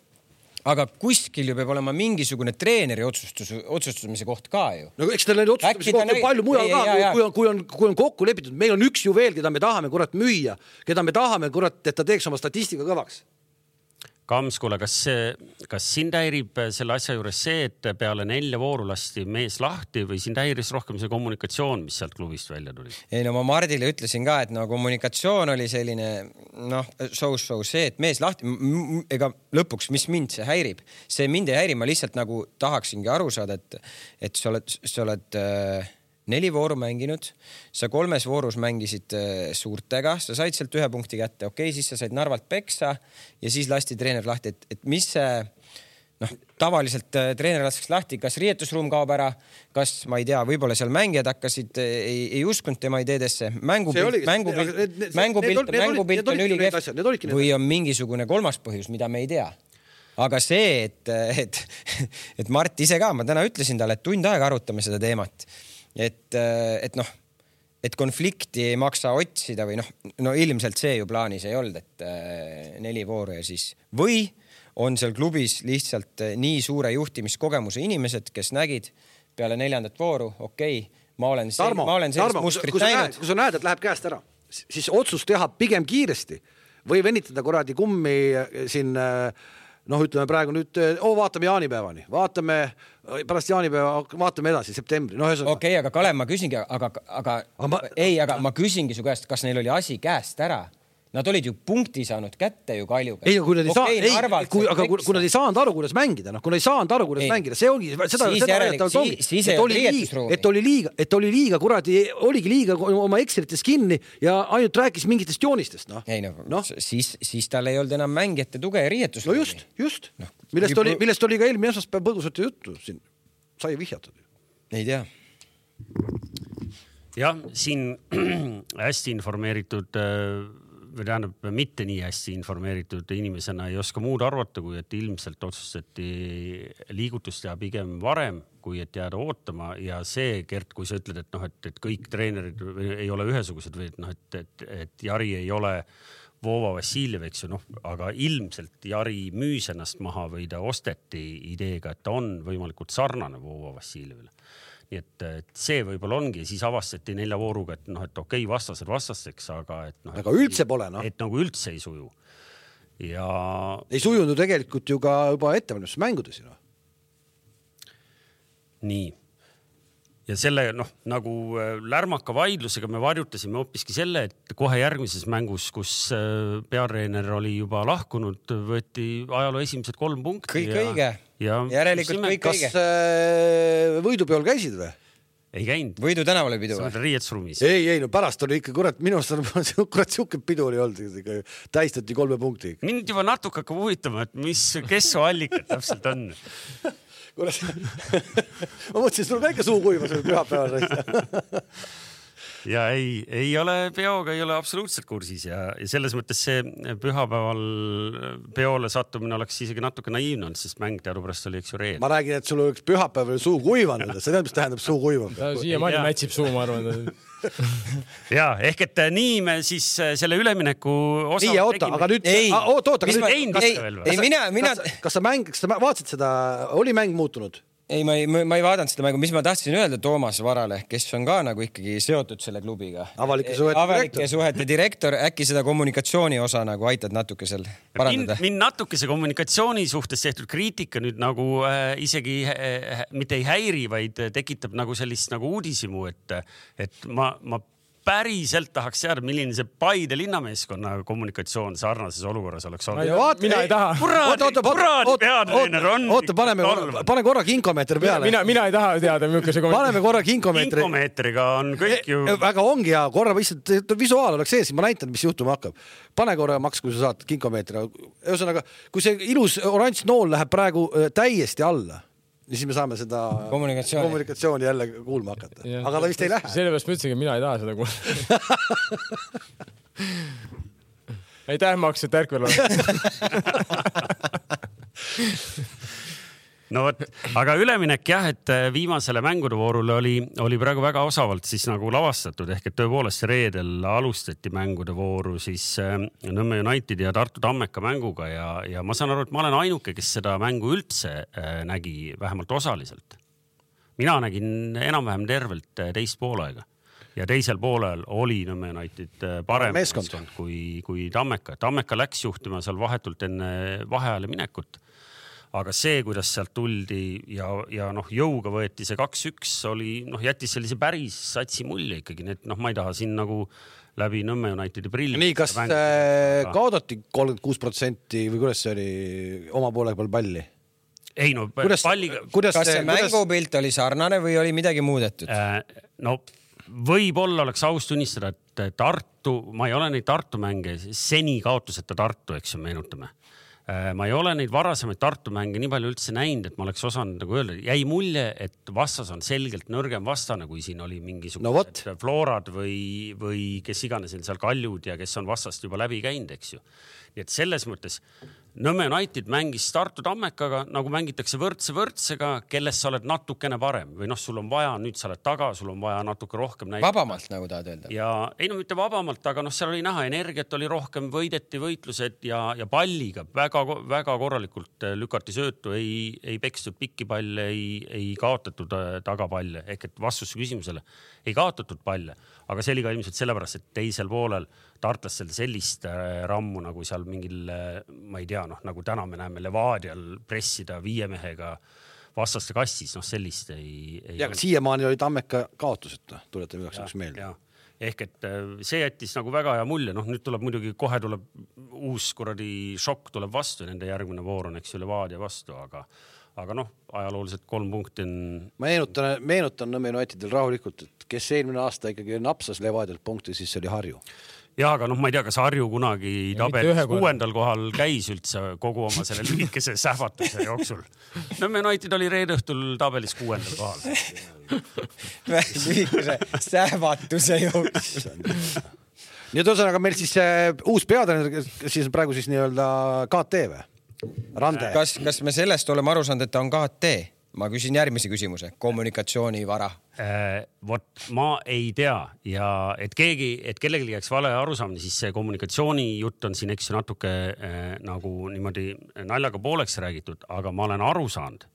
Aga kuskil ju peab olema mingisugune treeneri otsustus, otsustamise koht ka ju. No eks tal on otsustamise koht on palju mujal ka, kui on, kui, on, kui on kokku lepitud. Meil on üks ju veel, keda me tahame kurat müüa, keda me tahame kurat, et ta teeks oma statistika kõvaks. Kams, kuule, kas, kas sind häirib selle asja juures see, et peale nelja vooru lasti mees lahti või sind häiris rohkem see kommunikatsioon, mis sealt klubist välja tuli? Ei, no ma Mardile ütlesin ka, et no kommunikatsioon oli selline, noh, so-so see, et mees lahti, ega lõpuks, mis mind see häirib? See mind ei häiri, ma lihtsalt nagu tahaksingi aru saada, et, et sa oled, sa oled äh, neli vooru mänginud, sa kolmes voorus mängisid suurtega, sa said sealt ühe punkti kätte, okei, siis sa said Narvalt peksa ja siis lasti treener lahti, et, et mis see, noh, tavaliselt treener laseks lahti, kas riietusruum kaob ära, kas, ma ei tea, võib-olla seal mängijad hakkasid, ei, ei uskunud tema ideedesse, mängupilt, mängupilt, mängupilt, mängupilt on ülikehv või on mingisugune kolmas põhjus, mida me ei tea. Aga see, et, et, et Mart ise ka, ma täna ütlesin talle, et tund aega arutame seda teemat. Et, et noh, et konflikti ei maksa otsida või noh, no ilmselt see ju plaanis ei olnud, et neli vooru ja siis või on seal klubis lihtsalt nii suure juhtimiskogemuse inimesed, kes nägid peale neljandat vooru, okei, ma olen, see, Tarmo, ma olen sellist Tarmo, mustrit kui näinud. Kui sa näed, et läheb käest ära, siis otsus teha pigem kiiresti või venitada kuradi kummi siin, noh, ütleme praegu nüüd, oo, vaatame jaanipäevani, vaatame pärast jaanipäeva, vaatame edasi, septembri. No, okei, okay, aga Kalev, ma küsingi, aga, aga, aga ma, ei, aga ma küsingi su käest, kas neil oli asi käest ära? Nad olid ju punkti saanud kätte ju Kaljuga. Ei, kui nad ei, okay, saa, ei, kui, aga kui, kui nad ei saanud aru, kuidas mängida, noh, kui nad ei saanud aru, kuidas ei. mängida, see ongi, seda, siis seda järelikult, ongi, siis et, oli liiga, et oli liiga, et oli liiga, kuradi, oligi liiga oma ekserites kinni ja ainult rääkis mingitest joonistest, noh. Ei, no, no. Siis, siis tal ei olnud enam mängijate tuge ja riietus. No just, just. No, millest, oli, millest oli ka eelmine esmaspäev põgusalt juttu siin. Sai vihjatud. Ei tea. Jah, siin hästi informeeritud või tähendab mitte nii hästi informeeritud inimesena ei oska muud arvata, kui et ilmselt otsustati liigutust teha pigem varem, kui et jääda ootama ja see, Gert, kui sa ütled, et, noh, et, et kõik treenerid ei ole ühesugused või et, noh, et, et, et Jari ei ole Voova Vassiljev, eks ju, noh, aga ilmselt Jari müüs ennast maha või ta osteti ideega, et ta on võimalikult sarnane Voova Vassiljevile. nii et, et see võib-olla ongi, siis avastati nelja vooruga, et noh, et okei, vastased vastasteks, aga et noh, aga üldse pole, noh. Et nagu üldse ei suju. Ja ei sujunud tegelikult ju ka juba ettevalmistus mängudes, noh. Nii. Ja selle, noh, nagu lärmaka vaidlusega me varjutasime hoopiski selle, et kohe järgmises mängus, kus peatreener oli juba lahkunud, võeti ajaloo esimesed kolm punkti. Kõik ja, õige. Ja järelikult kõik kas õige. Kas võidupeol käisid või? Ei käinud. Võidu tänavale pidu või? Riietsruumis. Ei, ei, no pärast oli ikka, kurat, minu arust on kurat siuke pidu oli olnud, täistati kolme punkti. Mind juba natuke hakkab huvitama, et mis, kes su allikad täpselt on. Kurat, ma mõtlesin, et sul väike suu kuivas või pühapäeval. Ja ei, ei ole peoga, ei ole absoluutselt kursis ja, ja selles mõttes see pühapäeval peole sattumine oleks isegi natuke naiivne, sest mäng teadupärast oli eks ju reed. Ma räägin, et sul oleks pühapäeval suu kuivanud, see tead, mis tähendab suu kuivanud. Siia mani mätsib suu, ma arvan. Ja, ehk et nii me siis selle ülemineku osa... Nii, oota, aga nüüd... Ei, oota, oota, mis aga ma... nüüd... Ei, ei, mina, mina... Kas, kas sa mäng, kas sa vaatasid seda, oli mäng muutunud? Ei, ma ei, ma ei vaadanud seda mängu, mis ma tahtsin öelda Toomas Varale, kes on ka nagu ikkagi seotud selle klubiga. Avalike suhete Avalike direktor. suhete direktor, äkki seda kommunikatsiooni osa nagu aitad natuke seal parandada? Mind, mind natuke see kommunikatsiooni suhtes tehtud kriitika nüüd nagu äh, isegi äh, mitte ei häiri, vaid tekitab nagu sellist nagu uudisimu, et, et ma, ma päriselt tahaks teada, milline see Paide linnameeskonna kommunikatsioon sarnases olukorras oleks olnud. Mina ei taha. Kuraadi, kuraadi peatreener on. Oota, paneme, pane korra kinkomeetri peale. Mina, mina ei taha teada, milline see kommunikatsioon. Paneme korra kinkomeetri. Kinkomeetriga on kõik ju... Väga ongi ja korra lihtsalt visuaal oleks ees, ma näitan, mis juhtuma hakkab. Pane korra maks, kui sa saad kinkomeetri. Ühesõnaga, kui see ilus oranž nool läheb praegu täiesti alla, siis me saame seda kommunikatsiooni, kommunikatsiooni jälle kuulma hakata. Ja, aga ta vist ei lähe. Sellepärast ma ütlesin, et mina ei taha seda kuulma. Aitäh, Maks, et ärkvel on. No võt, aga üleminek jah, et viimasele mängude voorule oli, oli praegu väga osavalt siis nagu lavastatud, ehk et tõepoolest reedel alustati mängude vooru siis Nõmme United ja Tartu Tammeka mänguga ja, ja ma saan aru, et ma olen ainuke, kes seda mängu üldse nägi vähemalt osaliselt. Mina nägin enam-vähem tervelt teist poolega ja teisel poolel oli Nõmme United parem meeskond kui, kui Tammeka. Tammeka läks juhtima seal vahetult enne vaheajale minekut. Aga see, kuidas sealt tuldi ja, ja noh, jõuga võeti see kaks üks, oli, noh, jättis sellise päris satsi mulje ikkagi. Need, noh, ma ei taha siin nagu läbi Nõmme Unitedi prilli. Nii, kas mängida, kaodati kolmkümmend kuus protsenti või kuidas see oli oma poole peal palli? Ei, no kuidas, palliga... Kuidas kas see kuidas... mängupilt oli sarnane või oli midagi muudetud? Äh, no võib-olla oleks aus tunnistada, et Tartu, ma ei ole neid Tartu mänge, seni kaotuseta Tartu, eks ju, meenutame. Ma ei ole neid varasemaid Tartu mänge nii palju üldse näinud, et ma oleks osanud nagu öelda. Jäi mulje, et vastas on selgelt nõrgem vastane, kui siin oli mingisugused no Florad või, või kes iganes seal Kaljud ja kes on vastast juba läbi käinud, eks ju. Nii et selles mõttes Nõmme United mängis Tartu Tammekaga, nagu mängitakse võrdse võrdsega, kellest sa oled natukene parem või noh, sul on vaja, nüüd sa oled taga, sul on vaja natuke rohkem näidata. Vabamalt, nagu tahad öelda. Ja ei no mitte vabamalt, aga noh, seal oli näha, energiat oli rohkem, võideti võitlused ja, ja palliga väga, väga korralikult lükati söötu, ei, ei pekstud pikki palle, ei, ei kaotatud tagapalle, ehk et vastus küsimusele ei kaotatud palle, aga see oli ka ilmselt sellepärast, et teisel poolel Tartlasel sellist rammu nagu seal mingil, ma ei tea, noh, nagu täna me näeme Levadial pressida viie mehega vastaste kastis, noh, sellist ei... ei ja, aga siiamaani oli Tammeka kaotuseta, tulete üheks üks meelde. Ehk et see jättis nagu väga hea mulje, noh, nüüd tuleb muidugi, kohe tuleb uus kuradi šokk tuleb vastu ja nende järgmine voor on, eks ju, Levadia vastu, aga aga noh, ajalooliselt kolm punkti on... Ma meenutan, meenutan Nõmme Unitedil rahulikult, et kes eelmine aasta ikkagi napsas Levadialt punkti, siis see oli Harju. Ja, aga noh, ma ei tea, kas Harju kunagi tabelis kuuendal kohal käis üldse kogu oma selle lühikese sähvatuse jooksul. Nõmme United oli reedõhtul tabelis kuuendal kohal. Lühikese sähvatuse jooksul. Nii et ühesõnaga meil siis uus peatreener, siis praegu siis nii-öelda K T või? Rande. Kas, kas me sellest oleme aru saanud, et ta on K T? Ma küsin järgmise küsimuse. Kommunikatsioonivara. Äh, vot, ma ei tea ja et keegi, et kellelgi jääks vale arusaamine, siis see kommunikatsiooni jutt on siin eks natuke äh, nagu niimoodi naljaga pooleks räägitud, aga ma olen aru saanud,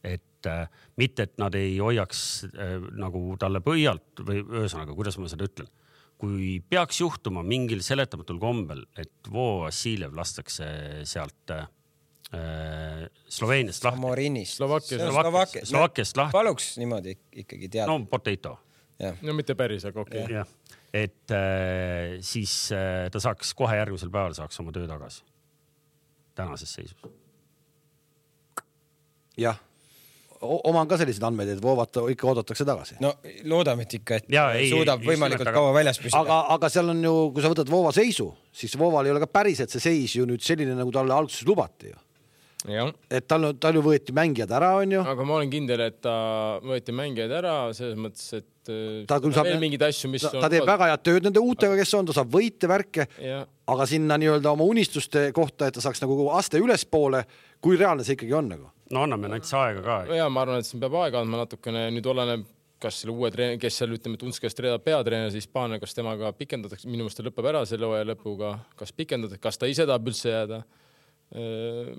et äh, mitte, et nad ei hoiaks äh, nagu talle põialt või ühesõnaga, kuidas ma seda ütlen. Kui peaks juhtuma mingil seletamatul kombel, et Vo Vassiljev lastakse sealt äh, Sloveeniast lahti. Samorinist. Slovakkiast, Slovakkiast lahti. Paluks niimoodi ikkagi teada. No potato. Ja. No mitte päris, aga okei. Okay. Et äh, siis äh, ta saaks kohe järgmisel päeval saaks oma töö tagasi. Tänases seisus. Jah. Oma on ka sellised andmed, et Voovat ikka oodatakse tagasi. No loodame, et ikka, et ja, ei, suudab ei, võimalikult aga... kaua väljas püsida. Aga, aga seal on ju, kui sa võtad Voova seisu, siis Vooval ei ole ka päriselt see seis ju nüüd selline, nagu talle alguses lubati ju. Ja. Et tal, tal ju võeti mängijad ära, on ju. Aga ma olen kindel, et ta võeti mängijad ära selles mõttes, et ta küll saab veel mingid asju, mis ta, on... Ta teeb väga head tööd nende uutega, kes on, ta saab võite värke, ja. Aga sinna nii-öelda oma unistuste kohta, et ta saaks nagu aste ülespoole, kui reaalne see ikkagi on nagu. No anname näiteks aega ka. Ja ma arvan, et siin peab aega andma natukene, nüüd oleneb, kas selle uue treener, kes seal ütleme, et Unskast reedab peatreener, siis Hispaania, kas temaga pikendatakse, minu meelest lõpeb ära selle hooaja lõpuga, kas pikendatakse, kas ta ise tahab üldse jääda.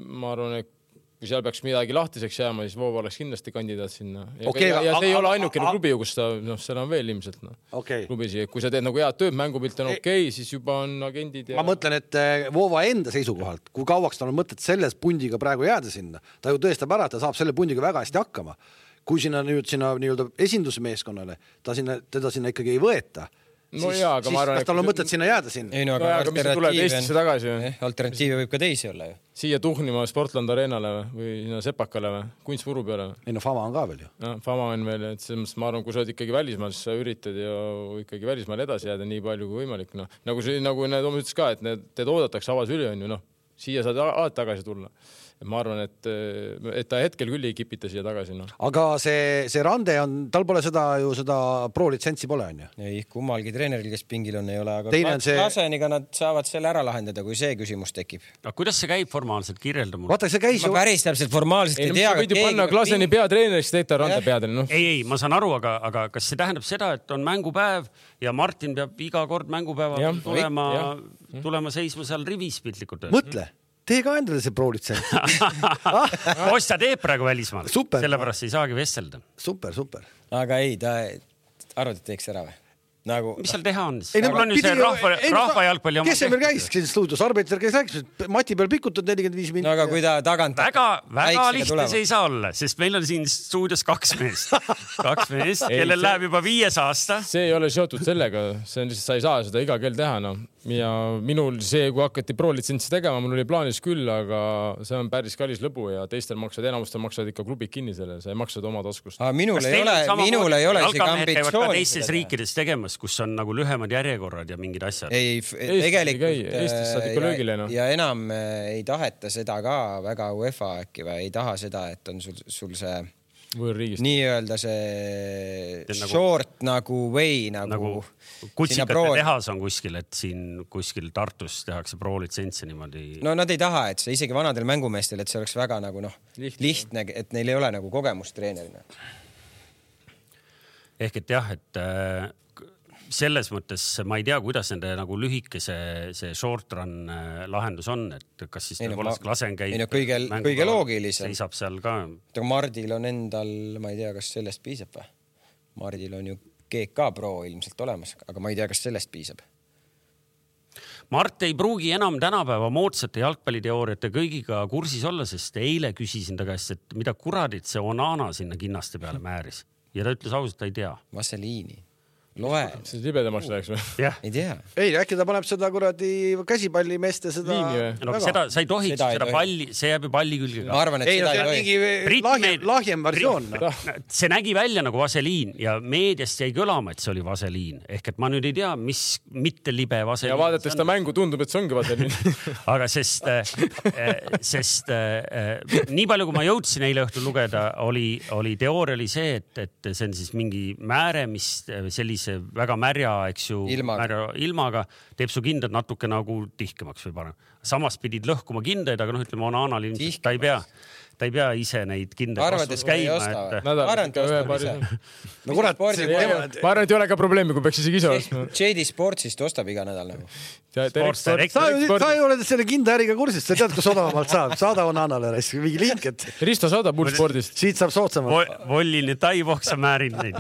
Ma arvan, et kui seal peaks midagi lahtiseks jääma, siis Voova oleks kindlasti kandidaat sinna. Ja, okay, ja, ja see a, ei a, ole ainukene a, klubi, kus ta, noh, seal on veel ilmselt no, okay. klubisi. Kui sa teed nagu head tööd, mängupilt on okei, okay, siis juba on agendid. Ja... Ma mõtlen, et Voova enda seisukohalt, kui kauaks tal on mõtet selles pundiga praegu jääda sinna, ta ju tõestab ära, et ta saab selle pundiga väga hästi hakkama. Kui sinna nüüd sinna nii-öelda esindusmeeskonnale, ta sinna, teda sinna ikkagi ei võeta, no siis, jaa, aga siis ma arvan, kas tal on mõtet sinna jääda sinna? Ei, no, aga, no, aga mis tuleb Eestisse tagasi? Eh, alternatiivi võib ka teisi olla ju. Siia tuhnima Sportland Arenale või sinna Sepakale või Kunstvuru peale. Ei no Fama on ka veel ju. No, Fama on veel, et selles mõttes ma arvan, kui sa oled ikkagi välismaal, siis sa üritad ju ikkagi välismaal edasi jääda nii palju kui võimalik. No. Nagu, see, nagu need oma ütles ka, et need, teed oodatakse avas üli on ju, noh, siia saad alati tagasi tulla. Ma arvan, et, et ta hetkel küll ei kipita siia tagasi. No. Aga see, see Rande on, tal pole seda ju seda pro-litsentsi pole on ju. Ei, kummalgi treeneril, kes pingil on, ei ole, aga Teine see... Klaseniga nad saavad selle ära lahendada, kui see küsimus tekib. Aga kuidas see käib formaalselt? Kirjelda mul. Vaata, see käis ma ju... päris täpselt formaalselt ei, ei tea. Sa võid ju panna Klaseni ping... peatreenerist, teed ta Rande peatreener. No. Ei, ei, ma saan aru, aga, aga kas see tähendab seda, et on mängupäev ja Martin peab iga kord mängupäeval ja, tulema, ja. tulema seisma seal rivis piltlikult? Mõtle. Tee ka endale see pro-litsents. Kostja teeb praegu välismaal. Sellepärast ei saagi vestelda. Super, super. Aga ei, ta arvad, et teeks ära või? Nagu... Mis seal teha on? Ei, on ju see rahva, rahva jalgpalli oma... Kes see meil käis siin stuudios? Arbiter käis rääkis, Mati peal pikutad nelikümmend viis minutit. No aga kui ta tagant... Väga, väga lihtne see ei saa olla, sest meil on siin stuudios kaks meest. Kaks meest, kellel see... läheb juba viies aasta. See ei ole seotud sellega. See on lihtsalt, sa ei saa seda iga kell teha. No. Ja minul see, kui hakati pro-litsentsi tegema, mul oli plaanis küll, aga see on päris kallis lõbu ja teistel maksad, enamustel maksavad ikka klubid kinni selle. Sa ei maksad oma taskust. Aga minul ei ole, minul ei ole isegi ambitsiooni. Teistes riikides tegemas, kus on nagu lühemad järjekorrad ja mingid asjad. Ei, tegelikult Eestis saad ikka löögile, no. Ja enam ei taheta seda ka väga UEFA äkki või ei taha seda, et on sul, sul see võõrriigist. Nii-öelda see nagu, short nagu way nagu, nagu kutsikate pro... tehas on kuskil, et siin kuskil Tartus tehakse pro-litsentsi niimoodi. No nad ei taha, et see isegi vanadel mängumeestel, et see oleks väga nagu noh, lihtne, lihtne, et neil ei ole nagu kogemust treenerina. Ehk et jah, et äh, selles mõttes ma ei tea, kuidas nende nagu lühike see, see short run lahendus on, et kas siis ei, nagu no, Klasen käib. Ei no kõige, kõige loogilisem. Seisab seal ka. Mardil on endal, ma ei tea, kas sellest piisab või? Mardil on ju G K Pro ilmselt olemas, aga ma ei tea, kas sellest piisab. Mart ei pruugi enam tänapäeva moodsate jalgpalliteooriate kõigiga kursis olla, sest eile küsisin ta käest, et mida kuradit see Onana sinna kinnaste peale määris. Ja ta ütles ausalt, ta ei tea. Vaseliini. Loe. See libedamaks läheks või? Yeah. Ei tea. Ei, äkki ta paneb seda kuradi käsipallimeeste seda... No, seda, sa ei tohiks seda, seda palli, see jääb ju palli külge. Ma arvan, et ei, seda no, ei tohi. Lahjem, lahjem versioon. See nägi välja nagu vaseliin ja meediast jäi kõlama, et see oli vaseliin. Ehk et ma nüüd ei tea, mis mitte libe vaseliin. Ja vaadates seda mängu tundub, et see ongi vaseliin. Aga sest, sest nii palju, kui ma jõudsin eile õhtul lugeda, oli, oli teooria oli see, et, et see on siis mingi määre, mis sellise väga märja, eks ju, ilmaga. Märja, ilmaga teeb su kindad natuke nagu tihkemaks või parem. Samas pidid lõhkuma kindaid, aga noh, ütleme, Onanal ilmselt ta ei pea. ta ei pea ise neid kindaid Arvad, vastus et käima. ei Et... Arvan, et ühe paari. No kurat, ma arvan, et ei ole ka probleemi, kui peaks isegi ise ostma. J D Sportsist ostab iga nädal nagu. Sa, sa ei ole selle kinda äriga kursis, sa tead, kus odavamalt saab. Saada on Annale mingi link, et... Risto saadab Bullspordist. Siit saab sootsamalt. Vollini taivohsa määrin neid.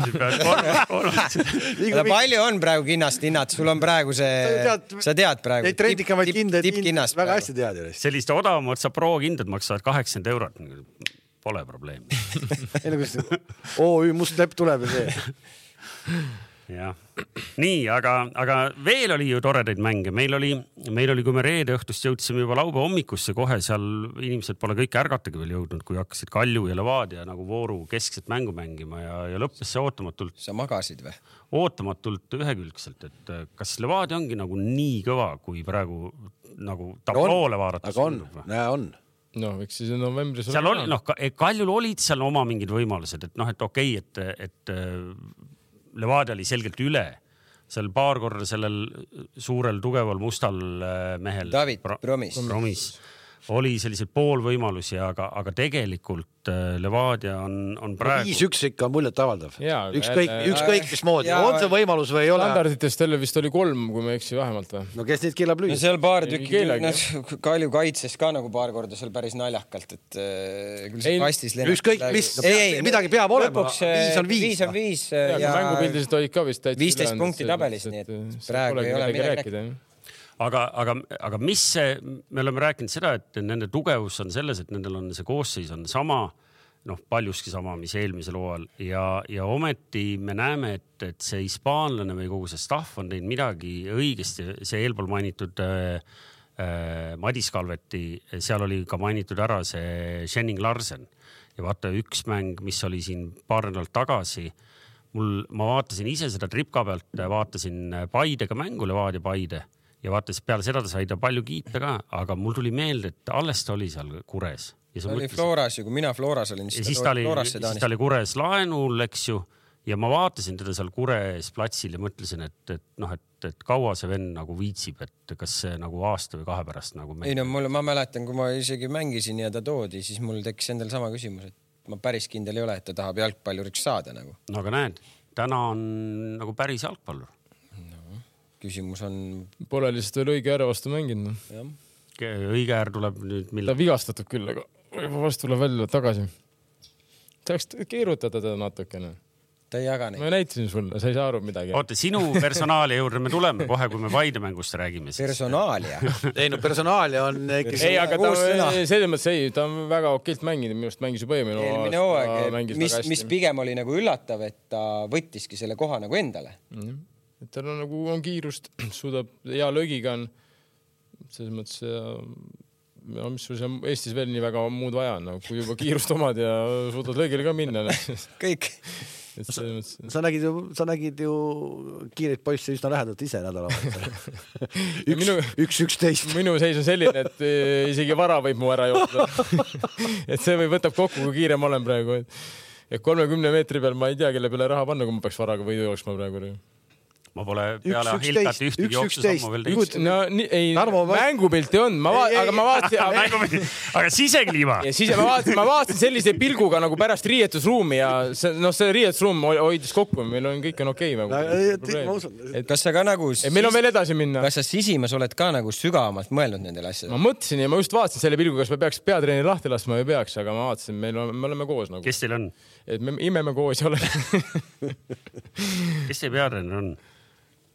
Palju on praegu kinnast hinnad? Sul on praegu see... Sa tead praegu. Neid trendikamaid kindaid väga hästi tead. Selliste odavamad sa pro kindad maksavad kaheksakümmend eurot. Pole probleemi. O Ü must lepp tuleb ja see. jah. Nii, aga, aga veel oli ju toredaid mänge. Meil oli, meil oli, kui me reede õhtust jõudsime juba laupäeva hommikusse kohe, seal inimesed pole kõik ärgatagi veel jõudnud, kui hakkasid Kalju ja Levadia nagu vooru keskset mängu mängima ja, ja lõppes see ootamatult. Sa magasid või? Ootamatult ühekülgselt, et kas Levadia ongi nagu nii kõva, kui praegu nagu tabloole vaadates. Aga on, näe on. No, eks siis novembris... Seal oli, noh, Kaljul olid seal oma mingid võimalused, et noh, et okei, okay, et, et Levadia oli selgelt üle. Seal paar korda sellel suurel tugeval mustal mehel David Promis. Promis oli selliseid poolvõimalusi, aga, aga tegelikult Levadia on, on praegu... viis üks ikka on muljet avaldav. Ükskõik, ükskõik mis moodi. On see võimalus või ei ole? Standarditest jälle vist oli kolm, kui me eksi vähemalt või? No kes neid keelab lüüa? No seal paar tükki, Kalju kaitses ka nagu paar korda seal päris naljakalt, et küll see kastis lennab. Ükskõik, mis, midagi peab olema. Viis on viis. Viis on viis. Ja mängupildised olid ka vist täitsa viisteist punkti tabelis, nii et praegu ei ole midagi rääkida. Aga, aga, aga mis see, me oleme rääkinud seda, et nende tugevus on selles, et nendel on see koosseis on sama, noh, paljuski sama, mis eelmisel hooajal ja, ja ometi me näeme, et, et see hispaanlane või kogu see staff on teinud midagi õigesti. See eelpool mainitud äh, Madis Kalveti, seal oli ka mainitud ära see Henning Larsen ja vaata üks mäng, mis oli siin paar nädalat tagasi. Mul, ma vaatasin ise seda tripka pealt, vaatasin Paidega mängu, Levadia Paide. Ja vaatas, peale seda ta sai ta palju kiita ka, aga mul tuli meelde, et alles ta oli seal Kures. Ja ta oli mõtlesin, Floras ja kui mina Floras olin, siis, siis ta oli, siis ta oli Kures laenul, eks ju, ja ma vaatasin teda seal Kures platsil ja mõtlesin, et, et, noh, et, et kaua see venn nagu viitsib, et kas see nagu aasta või kahe pärast nagu... Ei no, mul, ma mäletan, kui ma isegi mängisin ja ta toodi, siis mul tekkis endal sama küsimus, et ma päris kindel ei ole, et ta tahab jalgpalluriks saada nagu. No aga näed, täna on nagu päris jalgpallur. Küsimus on... Pole lihtsalt veel õige ääre vastu mänginud. Ja. Õige äär tuleb nüüd... Mille... Ta vigastatud küll, aga vastu tuleb välja tagasi. Tahaks keerutada teda natukene. Ta ei jaga neid. Ma näitasin sulle, sa ei saa aru midagi. Oota, sinu personaalia juurde me tuleme kohe, kui me Paide mängust räägime. Siis. Personaalia? Ei no personaalia on... Ei, aga ta, selles mõttes ei, ta on väga okilt mänginud, minust mängis juba eelmine eelmine hooaeg, mis, mis pigem oli nagu üllatav, et ta võttiski selle koha nagu endale. Mm-hmm. Et tal on nagu on kiirust, suudab hea löögiga on selles mõttes ja, ja mis sul seal Eestis veel nii väga muud vaja on, nagu, kui juba kiirust omad ja suudad löögile ka minna. Kõik. Sa, sa, nägid ju, sa nägid ju kiireid poisse üsna lähedalt ise nädala üks, minu, üks üksteist. Minu seis on selline, et isegi vara võib mu ära joosta. Et see või võtab kokku, kui kiire ma olen praegu. Et kolmekümne meetri peal ma ei tea, kelle peale raha panna, kui ma peaks varaga võidu jooksma praegu. Ma pole peale Hilkat ühtegi jooksusammu veel teinud. No, ei, mängupilti on, ma vaat, aga ma vaatasin... Aga sisekliima? Ja sise, ma vaatasin, ma vaatasin sellise pilguga nagu pärast riietusruumi ja see, no, see riietusruum hoidis kokku, meil on kõik on okei. Okay, kas sa ka nagu... Meil on veel edasi minna. Kas sa sisimas oled ka nagu sügavamalt mõelnud nendele asjadele? Ma mõtlesin ja ma just vaatasin selle pilguga, kas me peaks peatreeneri lahti laskma või peaks, aga ma vaatasin, meil on, me oleme koos nagu. Kes teil on? Et me imeme koos ja oleme. Kes see peatreener on?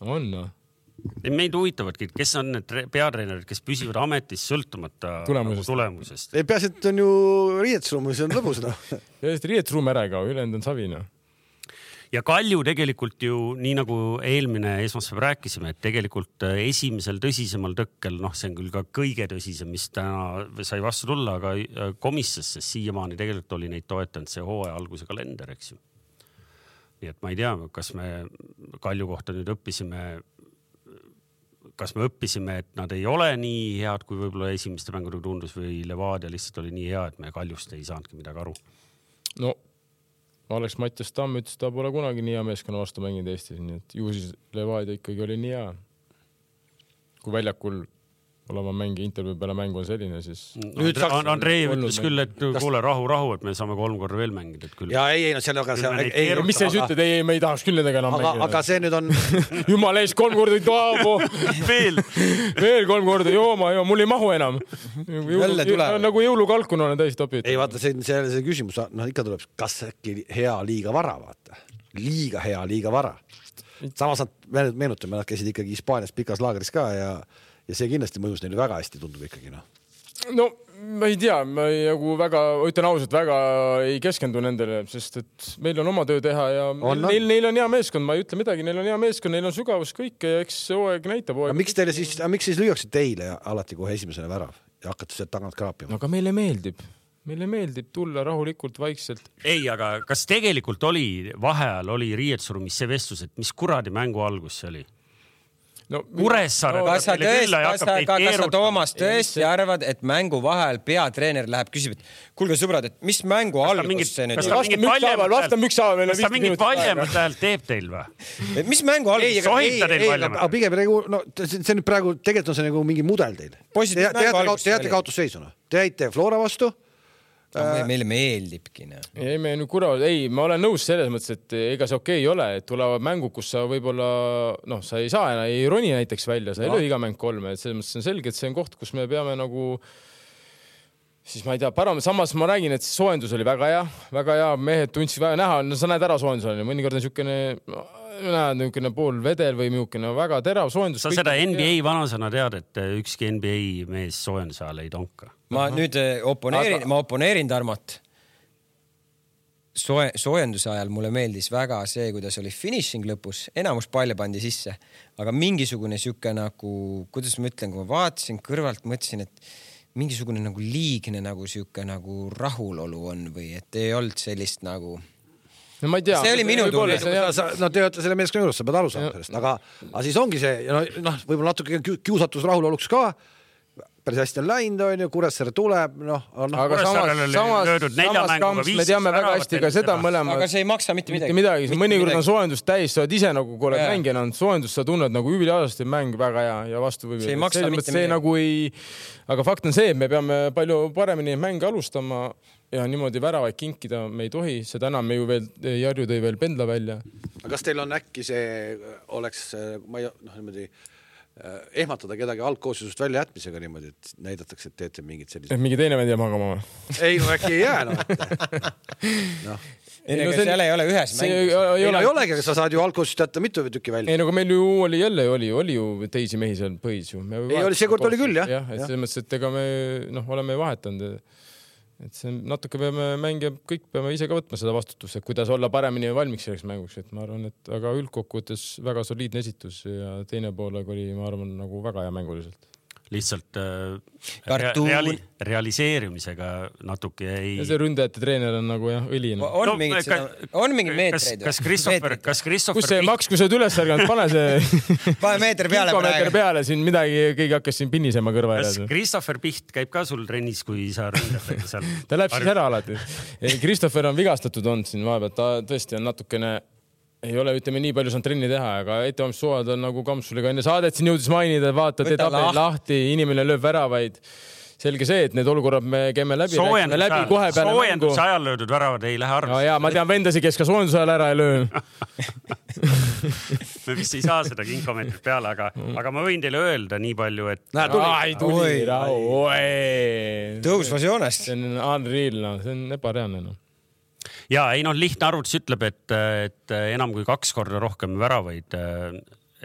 On, no. Meid huvitavadki, kes on need peatreenerid, kes püsivad ametis sõltumata tulemusest. tulemusest. Ei peaasi, et on ju riietusruum, see on lõbus. No. Riietusruum ära ka, ülejäänud on savina. Ja Kalju tegelikult ju, nii nagu eelmine esmaspäev rääkisime, et tegelikult esimesel tõsisemal tõkkel, noh, see on küll ka kõige tõsisem, mis täna sai vastu tulla, aga komissasse siiamaani tegelikult oli neid toetanud see hooaja alguse kalender, eks ju. Nii et ma ei tea, kas me Kalju kohta nüüd õppisime, kas me õppisime, et nad ei ole nii head, kui võib-olla esimeste mängudega tundus või Levadia lihtsalt oli nii hea, et me Kaljust ei saanudki midagi aru. No, Alex Mattias Tamm ütles, ta pole kunagi nii hea meeskonna vastu mänginud Eestis, nii et ju siis Levadia ikkagi oli nii hea. Kui väljakul olema mängi intervjuu peale mängu on selline, siis... Nüüd Andre, Andrei ütles küll, et kuule rahu, rahu, et me saame kolm korda veel mängida. Et küll. Ja ei, ei, no see on aga... See, ei, ei, mis see siis ütled? Ei, me ei tahaks küll nendega enam aga, mängida. Aga see nüüd on... Jumal ees kolm korda taabo. veel. veel kolm korda. Jooma, joo, mul ei mahu enam. Jõulu, jõu, nagu jõulukalkun olen täis topid. Ei, vaata, see, see, see küsimus, no ikka tuleb, kas äkki hea liiga vara, vaata. Liiga hea, liiga vara. Samas nad meenutame, nad käisid ikkagi Hispaanias pikas laagris ka ja... Ja see kindlasti mõjus neile väga hästi tundub ikkagi. No, no ma ei tea, ma ei, nagu väga, ütlen ausalt, väga ei keskendu nendele, sest et meil on oma töö teha ja on, neil, neil on hea meeskond, ma ei ütle midagi, neil on hea meeskond, neil on sügavus kõik ja eks see hooaeg näitab. Hooaeg. Miks teile siis, miks siis lüüaksid teile alati kohe esimesena värav ja hakkate sealt tagant kraapima? No, aga meile meeldib. Meile meeldib tulla rahulikult, vaikselt. Ei, aga kas tegelikult oli, vaheajal oli riietsurumis see vestlus, et mis kuradi mängu algus see oli? No, Kuressaare no, kas sa tõesti, kas sa, kas sa Toomas tõesti arvad, et mängu vahel peatreener läheb küsib, et kuulge sõbrad, et mis mängu algus see nüüd? Kas ta mingit Kas ta mingit valjemat häält teeb teil või? Mis mängu algus? Sohita teil valjemat? Aga pigem, no, see nüüd praegu, tegelikult on see nagu mingi mudel teil. Te jäate kaotusseisuna. Te jäite Flora vastu. No, meile meeldibki. Ne. Ei, me nüüd kura, ei, ma olen nõus selles mõttes, et ega see okei ei ole, et tulevad mängu, kus sa võib-olla, noh, sa ei saa enam, ei roni näiteks välja, sa ei no. löö iga mäng kolme, et selles mõttes on selge, et see on koht, kus me peame nagu, siis ma ei tea, param, samas ma räägin, et soojendus oli väga hea, väga hea, mehed tundsid väga näha, no sa näed ära soojendus, mõnikord on niisugune näed niisugune pool vedel või niisugune väga terav soojendus. Sa seda N B A vanasõna tead, et ükski N B A mees soojenduse ajal ei tonka. Ma Aha. nüüd oponeerin, Aga... ma oponeerin Tarmot. Soe, soojenduse ajal mulle meeldis väga see, kuidas oli finishing lõpus. Enamus palle pandi sisse. Aga mingisugune siuke nagu, kuidas ma ütlen, kui ma vaatasin kõrvalt, mõtlesin, et mingisugune nagu liigne nagu siuke nagu rahulolu on või et ei olnud sellist nagu... No ma ei tea. See oli minu tunne. No te olete selle meeskonna juures, sa pead aru saama sellest. Aga, aga siis ongi see, no, noh, võib-olla natuke kiusatus rahuloluks ka. Päris hästi on läinud, on ju, Kuressaare tuleb. No, no, aga samas, samas, samas kamps, me teame väga hästi ka seda mõlemad. Aga see ei maksa mitte midagi. midagi. Mõnikord on soojendus täis, sa oled ise nagu, kui oled mängijana, soojendus sa tunned nagu übiliaasti mäng väga hea ja vastu või. See ei maksa mitte midagi. Nagu ei... Aga fakt on see, et me peame palju paremini mänge alustama ja niimoodi väravaid kinkida me ei tohi. Seda enam me ju veel, Jarju tõi veel pendla välja. Aga kas teil on äkki see oleks, ma ei, noh, niimoodi ehmatada kedagi algkooslusest välja jätmisega niimoodi, et näidatakse, et teete mingid sellised... Et mingi teine vend jää magama või? Ei, no äkki ei jää, no. no. Ei, no see... seal ei ole ühes mängus. Ei, ei ole... ei olegi, sa saad ju algkooslusest jätta mitu tükki välja. Ei, no aga meil ju oli jälle, oli, oli ju teisi mehi seal põhis ju. Me ei, oli, see kord oli küll, jah. jah, et selles mõttes, et ega me noh, oleme vahetanud. Et see natuke peame mängija, kõik peame ise ka võtma seda vastutust, et kuidas olla paremini valmiks selleks mänguks, et ma arvan, et aga üldkokkuvõttes väga soliidne esitus ja teine poolega oli, ma arvan, nagu väga hea mänguliselt. Lihtsalt äh, reali realiseerimisega natuke ei... Ja see ründajate treener on nagu jah, õline. On, no, mingid, ka, on mingid meetreid. Kas Christopher... Kas Christopher kus see maks, kui sa oled üles ärganud, pane see... pane meeter peale praegu. peale, siin midagi, keegi hakkas siin pinnisema kõrva. Kas Christopher Piht käib ka sul trennis, kui sa ründad? Ta läheb siis ära alati. Christopher on vigastatud olnud siin vahepeal, ta tõesti on natukene... Ei ole, ütleme, nii palju saan trenni teha, aga ettevalmistussuvad on nagu Kampsuliga enne saadet siin jõudis mainida, vaata, teed tabeli lahti, inimene lööb väravaid. Selge see, et need olukorrad me käime läbi. Soojenduse läbi kohe peale mängu. Ajal löödud väravad ei lähe arvesse. No jaa, ma tean vendasi, kes ka soojenduse ajal ära ei löö. Me vist ei saa seda kinkomeetrit peale, aga, aga ma võin teile öelda nii palju, et... Näe, tuli. Ai, tuli. Tõusvas joonest. See on unreal, no. See on ebareaalne, no. Ja ei noh, lihtne arvutus ütleb, et, et enam kui kaks korda rohkem väravaid.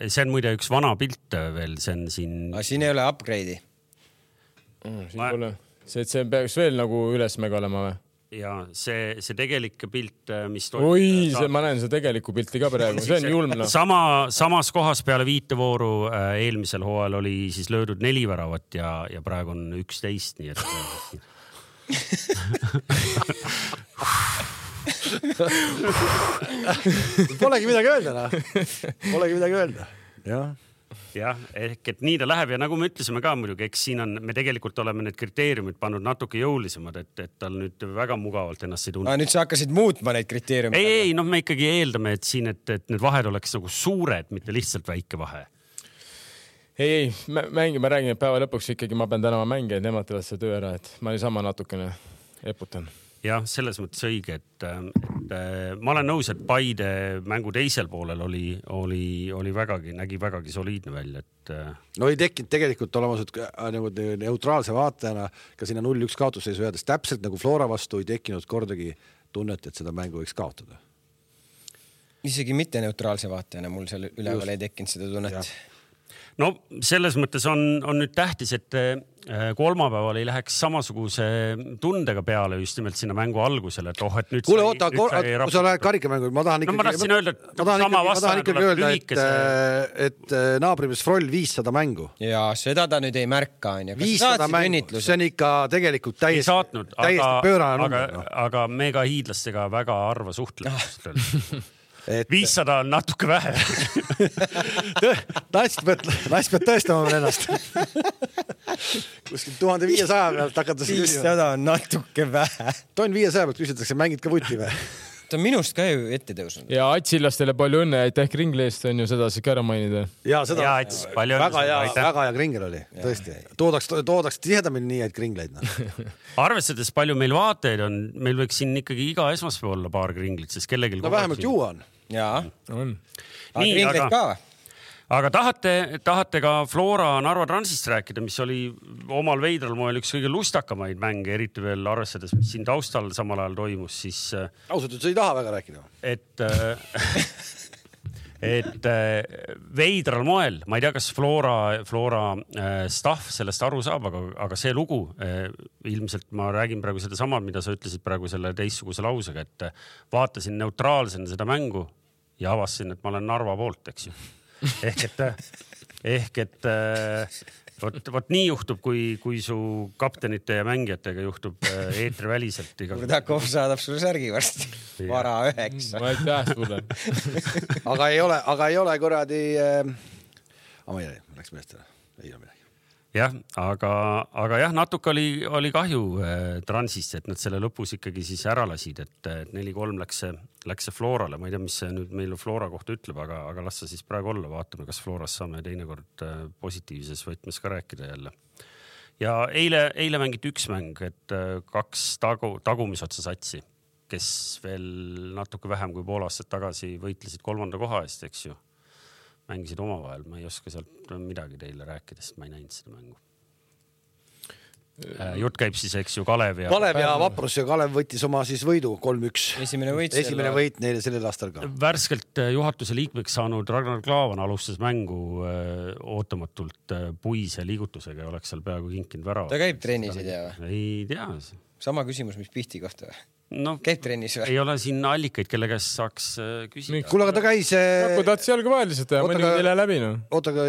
See on muide üks vana pilt veel, see on siin... Aga siin ei ole upgrade'i. Siin ma... pole. See, et see peaks veel nagu ülesmega olema või? Ja see, see tegelik pilt, mis... Oi, see, ma näen see tegeliku pilti ka praegu. See on julm. No. Sama, samas kohas peale viitevooru eelmisel hooajal oli siis löödud neli väravat ja, ja praegu on üksteist, nii et... Polegi midagi öelda, no. Polegi midagi öelda. Jah. Jah, ehk et nii ta läheb ja nagu me ütlesime ka muidugi, eks siin on, me tegelikult oleme need kriteeriumid pannud natuke jõulisemad, et, et tal nüüd väga mugavalt ennast ei tunne. Nüüd sa hakkasid muutma neid kriteeriumid. Ei, ei, noh, me ikkagi eeldame, et siin, et, et need vahed oleks nagu suured, mitte lihtsalt väike vahe. ei, ei, mängi, ma räägin, et päeva lõpuks ikkagi ma pean tänama mänge, et nemad teevad see töö ära, et ma niisama natukene eputan. Jah, selles mõttes õige, et, et ma olen nõus, et Paide mängu teisel poolel oli, oli, oli vägagi, nägi vägagi soliidne välja, et no ei tekkinud tegelikult olemas, et nagu neutraalse vaatajana ka sinna null üks kaotusseisu jäädes täpselt nagu Flora vastu ei tekkinud kordagi tunnet, et seda mängu võiks kaotada. Isegi mitte neutraalse vaatajana mul seal üleval Just. ei tekkinud seda tunnet. Ja. No selles mõttes on, on nüüd tähtis, et kolmapäeval ei läheks samasuguse tundega peale just nimelt sinna mängu algusele, et oh, et nüüd Kuule, oota, kui sa lähed karikamängu, ma tahan ikkagi, no, ma tahtsin öelda, et ma tahan ikkagi, ma tahan ikkagi öelda, et, et naabrimees Froll viissada mängu. Ja seda ta nüüd ei märka. viissada mängu, see on ikka tegelikult täiesti, saatnud, täiesti aga, pöörane aga, number. Aga mega hiidlastega väga harva suhtlemist. Et... viissada on natuke vähe. Naist pead tõestama ennast. Kuskil tuhande viiesaja pealt hakatakse viissada on natuke vähe. Toon viiesaja pealt küsitakse, mängid ka vuti või? Ta on minust ka ju ette tõusnud. Ja Atsilastele palju õnne, aitäh Kringleest on ju seda siis ka ära mainida. Ja seda ja, Ats, palju väga hea, väga hea Kringel oli, tõesti. Toodaks, toodaks tihedamini nii, et Kringleid. No. Arvestades palju meil vaateid on, meil võiks siin ikkagi iga esmaspäev olla paar Kringlit, sest kellegil... No vähemalt juua on. Jaa. On. Aga nii, Kringleid aga... ka või? Aga tahate, tahate ka Flora Narva Transist rääkida, mis oli omal veidral moel üks kõige lustakamaid mänge, eriti veel arvestades, mis siin taustal samal ajal toimus, siis... Ausalt, et sa ei taha väga rääkida. Et, et veidral moel, ma ei tea, kas Flora, Flora staff sellest aru saab, aga, aga see lugu, ilmselt ma räägin praegu seda sama, mida sa ütlesid praegu selle teistsuguse lausega, et vaatasin neutraalsena seda mängu ja avastasin, et ma olen Narva poolt, eks ju. Ehk et, ehk et võt, võt nii juhtub, kui, kui su kaptenite ja mängijatega juhtub eetri väliselt. Kurdakov saadab sulle särgi varsti. Vara üheksa. Ma aitäh sulle. aga ei ole, aga ei ole kuradi... Aga ma ei tea, läks meestele. Ei ole midagi. Jah, aga, aga jah, natuke oli, oli kahju eh, Transist, et nad selle lõpus ikkagi siis ära lasid, et, et neli kolm läks see, läks see Florale. Ma ei tea, mis see nüüd meil Flora kohta ütleb, aga, aga las sa siis praegu olla. Vaatame, kas Floras saame teinekord eh, positiivses võtmes ka rääkida jälle. Ja eile, eile mängiti üks mäng, et eh, kaks tagu, tagumisotsa satsi, kes veel natuke vähem kui pool aastat tagasi võitlesid kolmanda koha eest, eks ju. Mängisid oma vahel, ma ei oska sealt midagi teile rääkida, sest ma ei näinud seda mängu. Jutt käib siis, eks ju, Kalev ja... Kalev ja Vaprus ja Kalev võttis oma siis võidu kolm üks. Esimene võit, Esimene võit neile sellel aastal ka. Värskelt juhatuse liikmeks saanud Ragnar Klaavan alustas mängu ootamatult puise liigutusega ja oleks seal peaaegu kinkinud värava. Ta käib trennis, ei tea või? Ei tea. Sama küsimus, mis Pihti kohta või? No, käib trennis või? Ei ole siin allikaid, kelle käest saaks küsida. Kuule, aga ta käis... Kui tahtis jalga vahel lihtsalt ja mõni ei lähe läbi. No. Oota, aga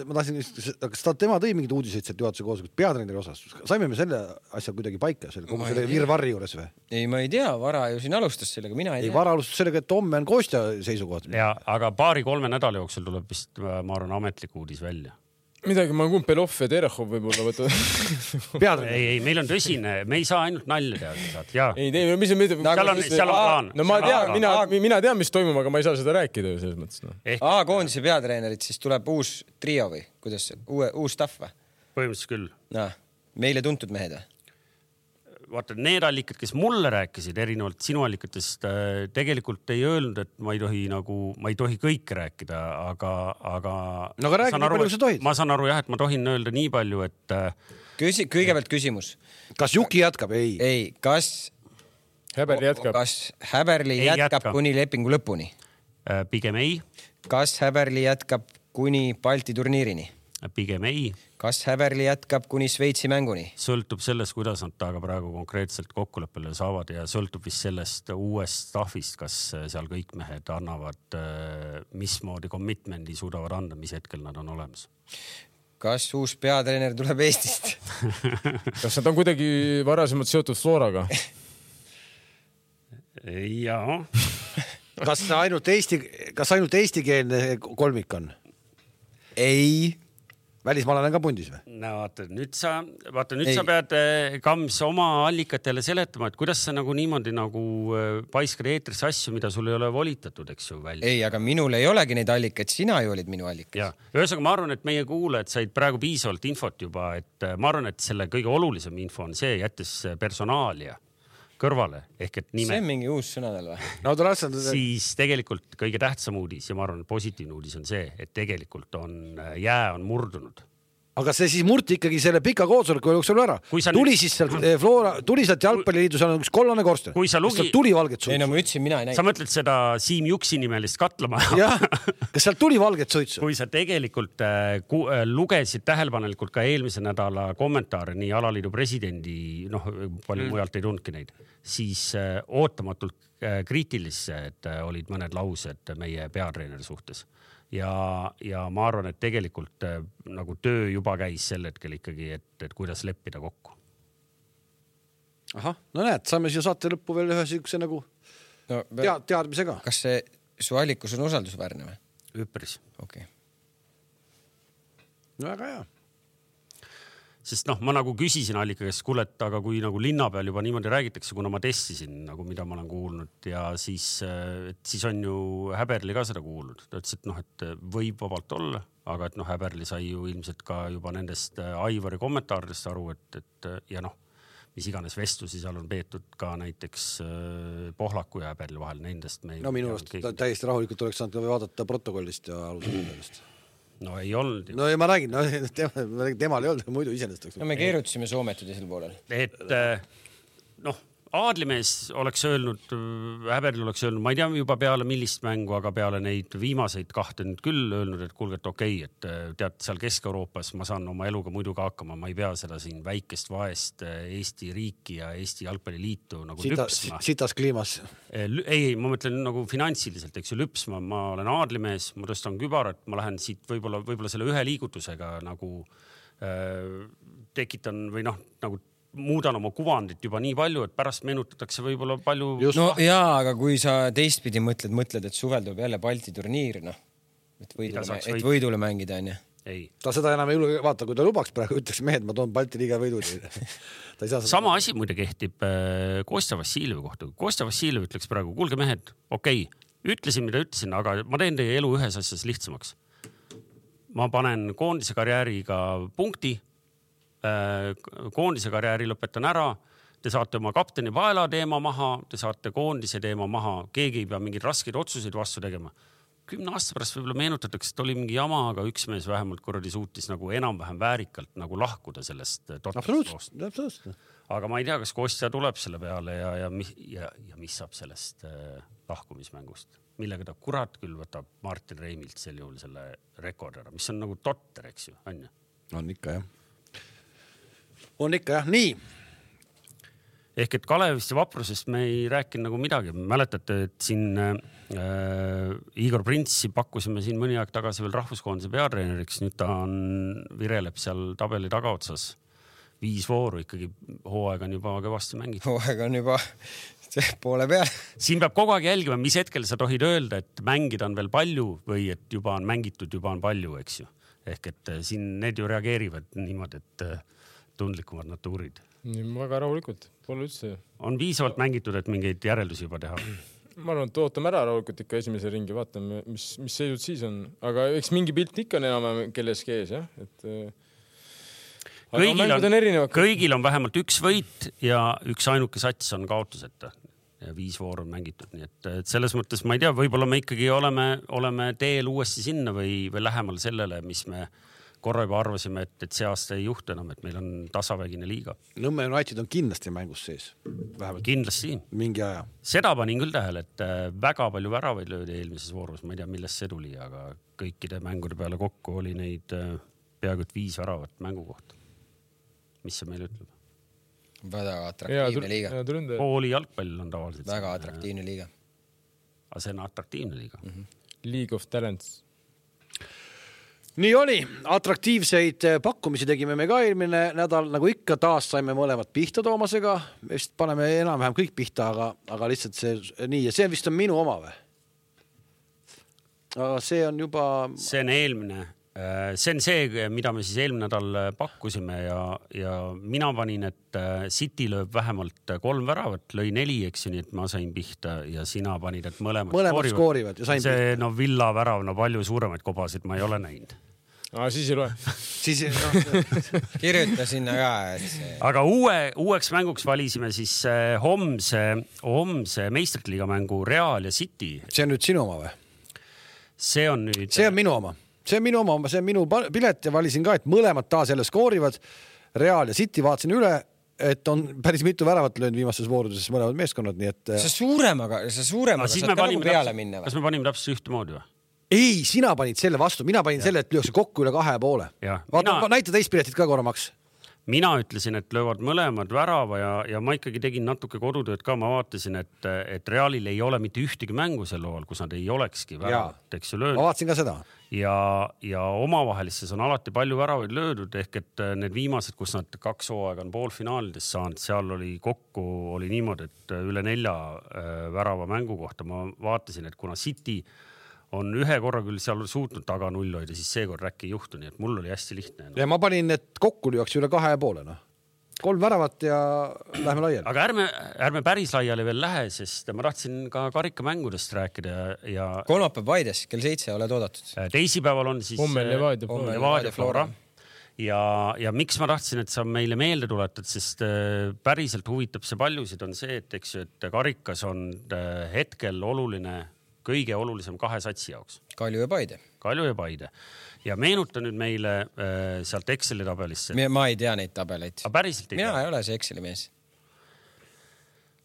ma tahtsin, kas ta tema tõi mingid uudiseid sealt juhatuse koos peatreeneri osas? Saime me selle asja kuidagi paika, selle, kogu selle virvarri juures või? Ei, ma ei tea, Vara ju siin alustas sellega, mina ei tea. Ei, Vara alustas sellega, et homme on Kostja seisukoht. Ja, aga paari-kolme nädala jooksul tuleb vist, ma arvan, ametlik uudis välja. Midagi, ma kumb Belov ja Terehov võib-olla võtta. ei, ei, meil on tõsine, me ei saa ainult nalja teada. Ei, ei, mis on... Seal on, seal on plaan. No ma tean, mina, mina tean, mis toimub, aga ma ei saa seda rääkida selles mõttes. No. Aa, koondise peatreenerid, siis tuleb uus trio või? Kuidas see? Uue, uus staff või? Põhimõtteliselt küll. No, meile tuntud mehed või? Vaata, need allikad, kes mulle rääkisid erinevalt sinu allikatest, tegelikult ei öelnud, et ma ei tohi nagu, ma ei tohi kõike rääkida, aga, aga... No aga räägi nii palju, kui sa tohid. Ma saan aru jah, et ma tohin öelda nii palju, et... Küsi, kõigepealt küsimus. Kas Juki jätkab? Ei. Ei, kas... Häberli jätkab. Kas Häberli ei jätkab jätka. Kuni lepingu lõpuni? Pigem ei. Kas Häberli jätkab kuni Balti turniirini? Pigem ei. Kas Häberli jätkab kuni Sveitsi mänguni? Sõltub sellest, kuidas nad taga praegu konkreetselt kokkuleppele saavad ja sõltub vist sellest uuest staffist, kas seal kõik mehed annavad, mismoodi commitmendi suudavad anda, mis hetkel nad on olemas. Kas uus peatreener tuleb Eestist? Kas nad on kuidagi varasemalt seotud Floraga? Jaa. Kas ainult Eesti, kas ainult eestikeelne kolmik on? Ei. välismaalane on ka pundis või? No vaata, nüüd sa, vaata, nüüd Ei. sa pead Kams oma allikatele seletama, et kuidas sa nagu niimoodi nagu paiskad eetrisse asju, mida sul ei ole volitatud, eks ju, välja. Ei, aga minul ei olegi neid allikaid, sina ju olid minu allikas. Ja, ühesõnaga ma arvan, et meie kuulajad said praegu piisavalt infot juba, et ma arvan, et selle kõige olulisem info on see, jättes personaalia kõrvale, ehk et nime. See on mingi uus sõnadel või? No, rassan... Siis tegelikult kõige tähtsam uudis ja ma arvan, et positiivne uudis on see, et tegelikult on jää on murdunud. Aga see siis murti ikkagi selle pika koosoleku jooksul ära. Tuli nüüd... siis sealt Flora, tuli sealt jalgpalliliidu, seal on üks kollane korsten. Kui sa lugi... tuli valget suitsu. Ei, no ma ütlesin, mina ei näi. Sa mõtled seda Siim Juksi nimelist katlamaja. Jah, kas sealt tuli valget suitsu? Kui sa tegelikult äh, ku, äh, lugesid tähelepanelikult ka eelmise nädala kommentaare, nii alaliidu presidendi, noh, palju mm. mujalt ei tundki neid, siis äh, ootamatult äh, kriitilised äh, olid mõned laused meie peatreeneri suhtes. Ja, ja ma arvan, et tegelikult äh, nagu töö juba käis sel hetkel ikkagi, et, et kuidas leppida kokku. Aha, no näed, saame siia saate lõppu veel ühe sihukese nagu no, tead, teadmisega. Kas see su allikus on usaldusväärne või? Üpris. Okei. Okay. No väga hea. Sest noh, ma nagu küsisin allika käest, kuule, et aga kui nagu linna peal juba niimoodi räägitakse, kuna ma testisin, nagu mida ma olen kuulnud ja siis, et siis on ju Häberli ka seda kuulnud. Ta ütles, et noh, et võib vabalt olla, aga et noh, Häberli sai ju ilmselt ka juba nendest Aivari kommentaaridest aru, et, et ja noh, mis iganes vestlusi seal on peetud ka näiteks Pohlaku ja Häberli vahel nendest. Me no minu arust täiesti rahulikult oleks saanud ka vaadata protokollist ja alusel. No ei olnud. No ja ma räägin, no, tema, temal ei olnud, muidu iseenesest. No me keerutasime Soomet teisel poolel. Et noh, Aadlimees oleks öelnud, Häberli oleks öelnud, ma ei tea juba peale millist mängu, aga peale neid viimaseid kahte nüüd küll öelnud, et kuulge, et okei, et tead, seal Kesk-Euroopas ma saan oma eluga muidu ka hakkama, ma ei pea seda siin väikest vaest Eesti riiki ja Eesti jalgpalliliitu nagu Sita, lüpsma. Sitas kliimas. Ei, ma mõtlen nagu finantsiliselt, eks ju, lüpsma. Ma olen Aadlimees, ma tõstan kübarat, ma lähen siit võib-olla, võib-olla selle ühe liigutusega nagu äh, tekitan või noh, nagu muudan oma kuvandit juba nii palju, et pärast meenutatakse võib-olla palju... Just. No jaa, aga kui sa teistpidi mõtled, mõtled, et suvel tuleb jälle Balti turniir, noh, et võidule, et võidule mängida, on ju. Ei. Ta seda enam ei vaata, kui ta lubaks praegu, ütleks mehed, ma toon Balti liiga võidud. Ta ei saa sama asi muide kehtib Kostja Vassiljevi kohta. Kostja Vassiljev ütleks praegu, kuulge mehed, okei, ütlesin, mida ütlesin, aga ma teen teie elu ühes asjas lihtsamaks. Ma panen koondise karjääriga punkti, koondise karjääri lõpetan ära, te saate oma kapteni paela teema maha, te saate koondise teema maha, keegi ei pea mingeid raskeid otsuseid vastu tegema. Kümne aasta pärast võib-olla meenutatakse, et oli mingi jama, aga üks mees vähemalt korradi suutis nagu enam-vähem väärikalt nagu lahkuda sellest absoluutselt. Aga ma ei tea, kas Kostja tuleb selle peale ja, ja, ja, ja mis saab sellest äh, lahkumismängust, millega ta kurat küll võtab Martin Reimilt sel juhul selle rekordera, mis on nagu totter, eks ju, on ju? On ikka, jah. On ikka, jah, nii. Ehk et Kalevist ja Vaprusest me ei rääkinud nagu midagi. Mäletate, et siin äh, Igor Printsi pakkusime siin mõni aeg tagasi veel rahvuskoondise peatreeneriks. Nüüd ta on, vireleb seal tabeli tagaotsas. Viis vooru ikkagi, hooaeg on juba kõvasti mängid. Hooaeg on juba poole peal. Siin peab kogu aeg jälgima, mis hetkel sa tohid öelda, et mängida on veel palju või et juba on mängitud, juba on palju, eks ju. Ehk et siin need ju reageerivad niimoodi, et tundlikumad natuurid. Väga rahulikult, pole üldse. On piisavalt mängitud, et mingeid järeldusi juba teha? Ma arvan, et ootame ära rahulikult ikka esimese ringi, vaatame, mis, mis seisud siis on. Aga eks mingi pilt ikka on enam kelleski ees, jah? Et, kõigil, on, on kõigil on vähemalt üks võit ja üks ainuke sats on kaotuseta. Ja viis voor on mängitud. Nii et, et selles mõttes ma ei tea, võib-olla me ikkagi oleme, oleme teel uuesti sinna või, või lähemal sellele, mis me korra juba arvasime, et, et see aasta ei juhtu enam, et meil on tasavägine liiga. Nõmme United on kindlasti mängus sees. Vähemalt kindlasti. Mingi aja. Seda panin küll tähele, et väga palju väravaid löödi eelmises voorus. Ma ei tea, millest see tuli, aga kõikide mängude peale kokku oli neid peaaegu viis väravat mängu kohta. Mis see meil ütleb? Väga atraktiivne liiga. Kooli jalgpall on tavaliselt. Väga atraktiivne liiga. Aga see on atraktiivne liiga. Mm-hmm. League of Talents. Nii oli, atraktiivseid pakkumisi tegime me ka eelmine nädal, nagu ikka taas saime mõlemad pihta Toomasega, vist paneme enam-vähem kõik pihta, aga, aga lihtsalt see nii ja see vist on minu oma või? Aga see on juba... See on eelmine see on see, mida me siis eelmine nädal pakkusime ja, ja mina panin, et City lööb vähemalt kolm väravat, lõi neli, eks ju, nii et ma sain pihta ja sina panid, et mõlemad, mõlemad skoorivad. skoorivad see no Villa värav, no palju suuremaid kobasid ma ei ole näinud. Ah, siis ei loe. siis no, kirjuta sinna ka. See... Aga uue, uueks mänguks valisime siis homse, homse meistrite liiga mängu Real ja City. See on nüüd sinu oma või? See on nüüd... See on minu oma. See on minu oma, see on minu pilet ja valisin ka, et mõlemad taas jälle skoorivad. Real ja City vaatasin üle, et on päris mitu väravat löönud viimastes voorudes mõlemad meeskonnad, nii et... Sa suuremaga, sa suuremaga saad ka nagu peale minna. Kas me panime täpselt ühte moodi või? Ei, sina panid selle vastu, mina panin ja. selle, et lüüakse kokku üle kahe ja poole. Vaata, mina... näita teist piletit ka korra, Maks. Mina ütlesin, et löövad mõlemad värava ja, ja ma ikkagi tegin natuke kodutööd ka. Ma vaatasin, et, et Realil ei ole mitte ühtegi mängu sel loal, kus nad ei olekski väravat, eks ju löönud. Ma vaatasin ka seda. Ja, ja omavahelistes on alati palju väravaid löödud, ehk et need viimased, kus nad kaks hooaega on poolfinaalides saanud, seal oli kokku, oli niimoodi, et üle nelja värava mängu kohta. Ma vaatasin, et kuna City on ühe korra küll seal suutnud taga null hoida, siis seekord äkki ei juhtu, nii et mul oli hästi lihtne. No. Ja ma panin, et kokku lüüakse üle kahe ja poole. No. Kolm väravat ja lähme laiali. Aga ärme, ärme päris laiali veel lähe, sest ma tahtsin ka karikamängudest rääkida. Ja... kolmapäev Paides, kell seitse oled oodatud. Teisipäeval on siis... Homme Levadia Flora. Levadia Flora. Ja, ja miks ma tahtsin, et sa meile meelde tuletad, sest päriselt huvitab see paljusid, on see, et, eks, et karikas on hetkel oluline kõige olulisem kahe satsi jaoks. Kalju ja Paide. Kalju ja Paide. Ja meenuta nüüd meile äh, sealt Exceli tabelisse. Ma ei tea neid tabeleid. A päriselt ei Mina tea? ei ole see Exceli mees.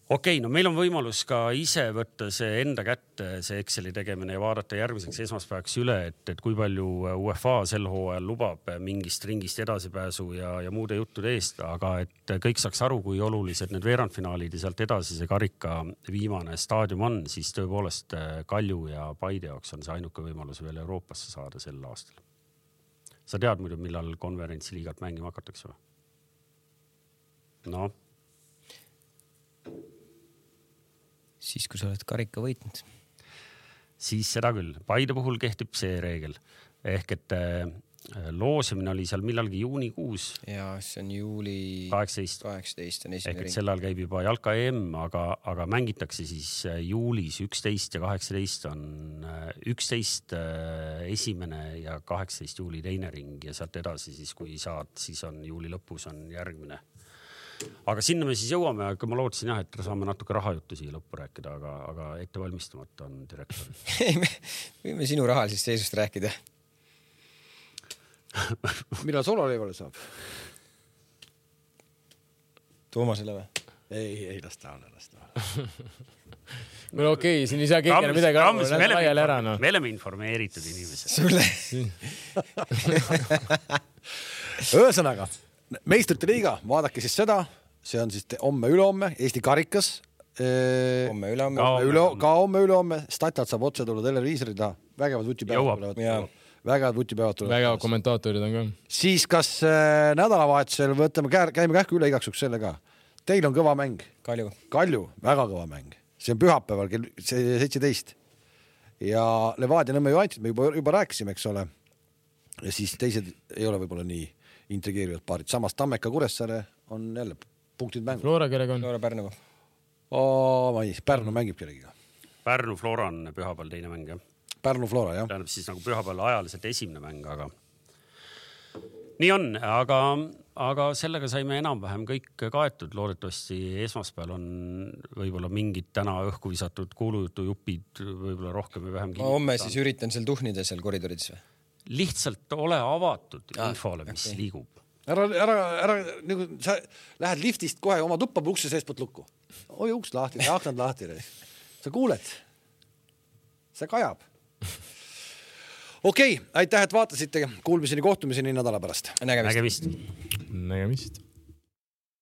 Okei, okay, no meil on võimalus ka ise võtta see enda kätte, see Exceli tegemine ja vaadata järgmiseks esmaspäevaks üle, et, et kui palju U E F A sel hooajal lubab mingist ringist edasipääsu ja, ja muude juttude eest, aga et kõik saaks aru, kui olulised need veerandfinaalid ja sealt edasi see karika viimane staadium on, siis tõepoolest Kalju ja Paide jaoks on see ainuke võimalus veel Euroopasse saada sel aastal. Sa tead muidu, millal konverentsiliigat mängima hakatakse või? No. Siis, kui sa oled karika võitnud. Siis seda küll. Paide puhul kehtib see reegel. Ehk et loosimine oli seal millalgi juunikuus. Ja see on juuli kaheksateist. kaheksateist on esimene ring. Ehk et sel ajal käib juba jalka E M, aga, aga mängitakse siis juulis üksteist ja kaheksateist on üksteist esimene ja kaheksateist juuli teine ring ja sealt edasi siis, kui saad, siis on juuli lõpus on järgmine. Aga sinna me siis jõuame, aga ma lootsin jah, et saame natuke rahajuttu siia lõppu rääkida, aga, aga ette valmistamata on direktor. Ei, me võime sinu rahalisest seisust rääkida. Millal sololevale saab? Toomasele või? Ei, ei, las ta ole, las ta ole. Meil okei, okay, siin ei saa keegi midagi aru, laiali ära. No. Me oleme informeeritud inimesed. Sulle. Ühesõnaga, meistrite liiga, vaadake siis seda, see on siis homme ülehomme, Eesti karikas. Homme ülehomme. Ka homme ülehomme, Statjad saab otse tulla televiisori taha, vägevad vutipäevad. Vägevad vutipäevad tulevad. Vägevad kommentaatorid on ka. Siis kas äh, nädalavahetusel võtame, käime kähku üle igaksuks selle ka. Teil on kõva mäng. Kalju. Kalju, väga kõva mäng. See on pühapäeval kell seitseteist. Ja Levadia Nõmme Juantit me juba, juba rääkisime, eks ole. Ja siis teised ei ole võib-olla nii intrigeerivad paarid. Samas Tammeka Kuressaare on jälle punktid mängu. Flora kellega on? Flora Pärnu. Oo, ma ei, Pärnu mängib kellegiga. Pärnu Flora on pühapäeval teine mäng, jah? Pärnu Flora, jah. Tähendab siis nagu pühapäeval ajaliselt esimene mäng, aga nii on, aga, aga sellega saime enam-vähem kõik kaetud. Loodetavasti esmaspäeval on võib-olla mingid täna õhku visatud kuulujutu jupid võib-olla rohkem või vähem kinnitada. Ma homme siis üritan seal tuhnida seal koridorides või? Lihtsalt ole avatud ah, infole, mis okay. liigub. Ära, ära, ära, nagu sa lähed liftist kohe oma tuppa ukse seespot lukku. Oi, uks lahti, aknad lahti. Sa kuuled. See kajab. Okei, okay, aitäh, et vaatasite. Kuulmiseni, kohtumiseni nädala pärast. Nägemist. Nägemist. Nägemist.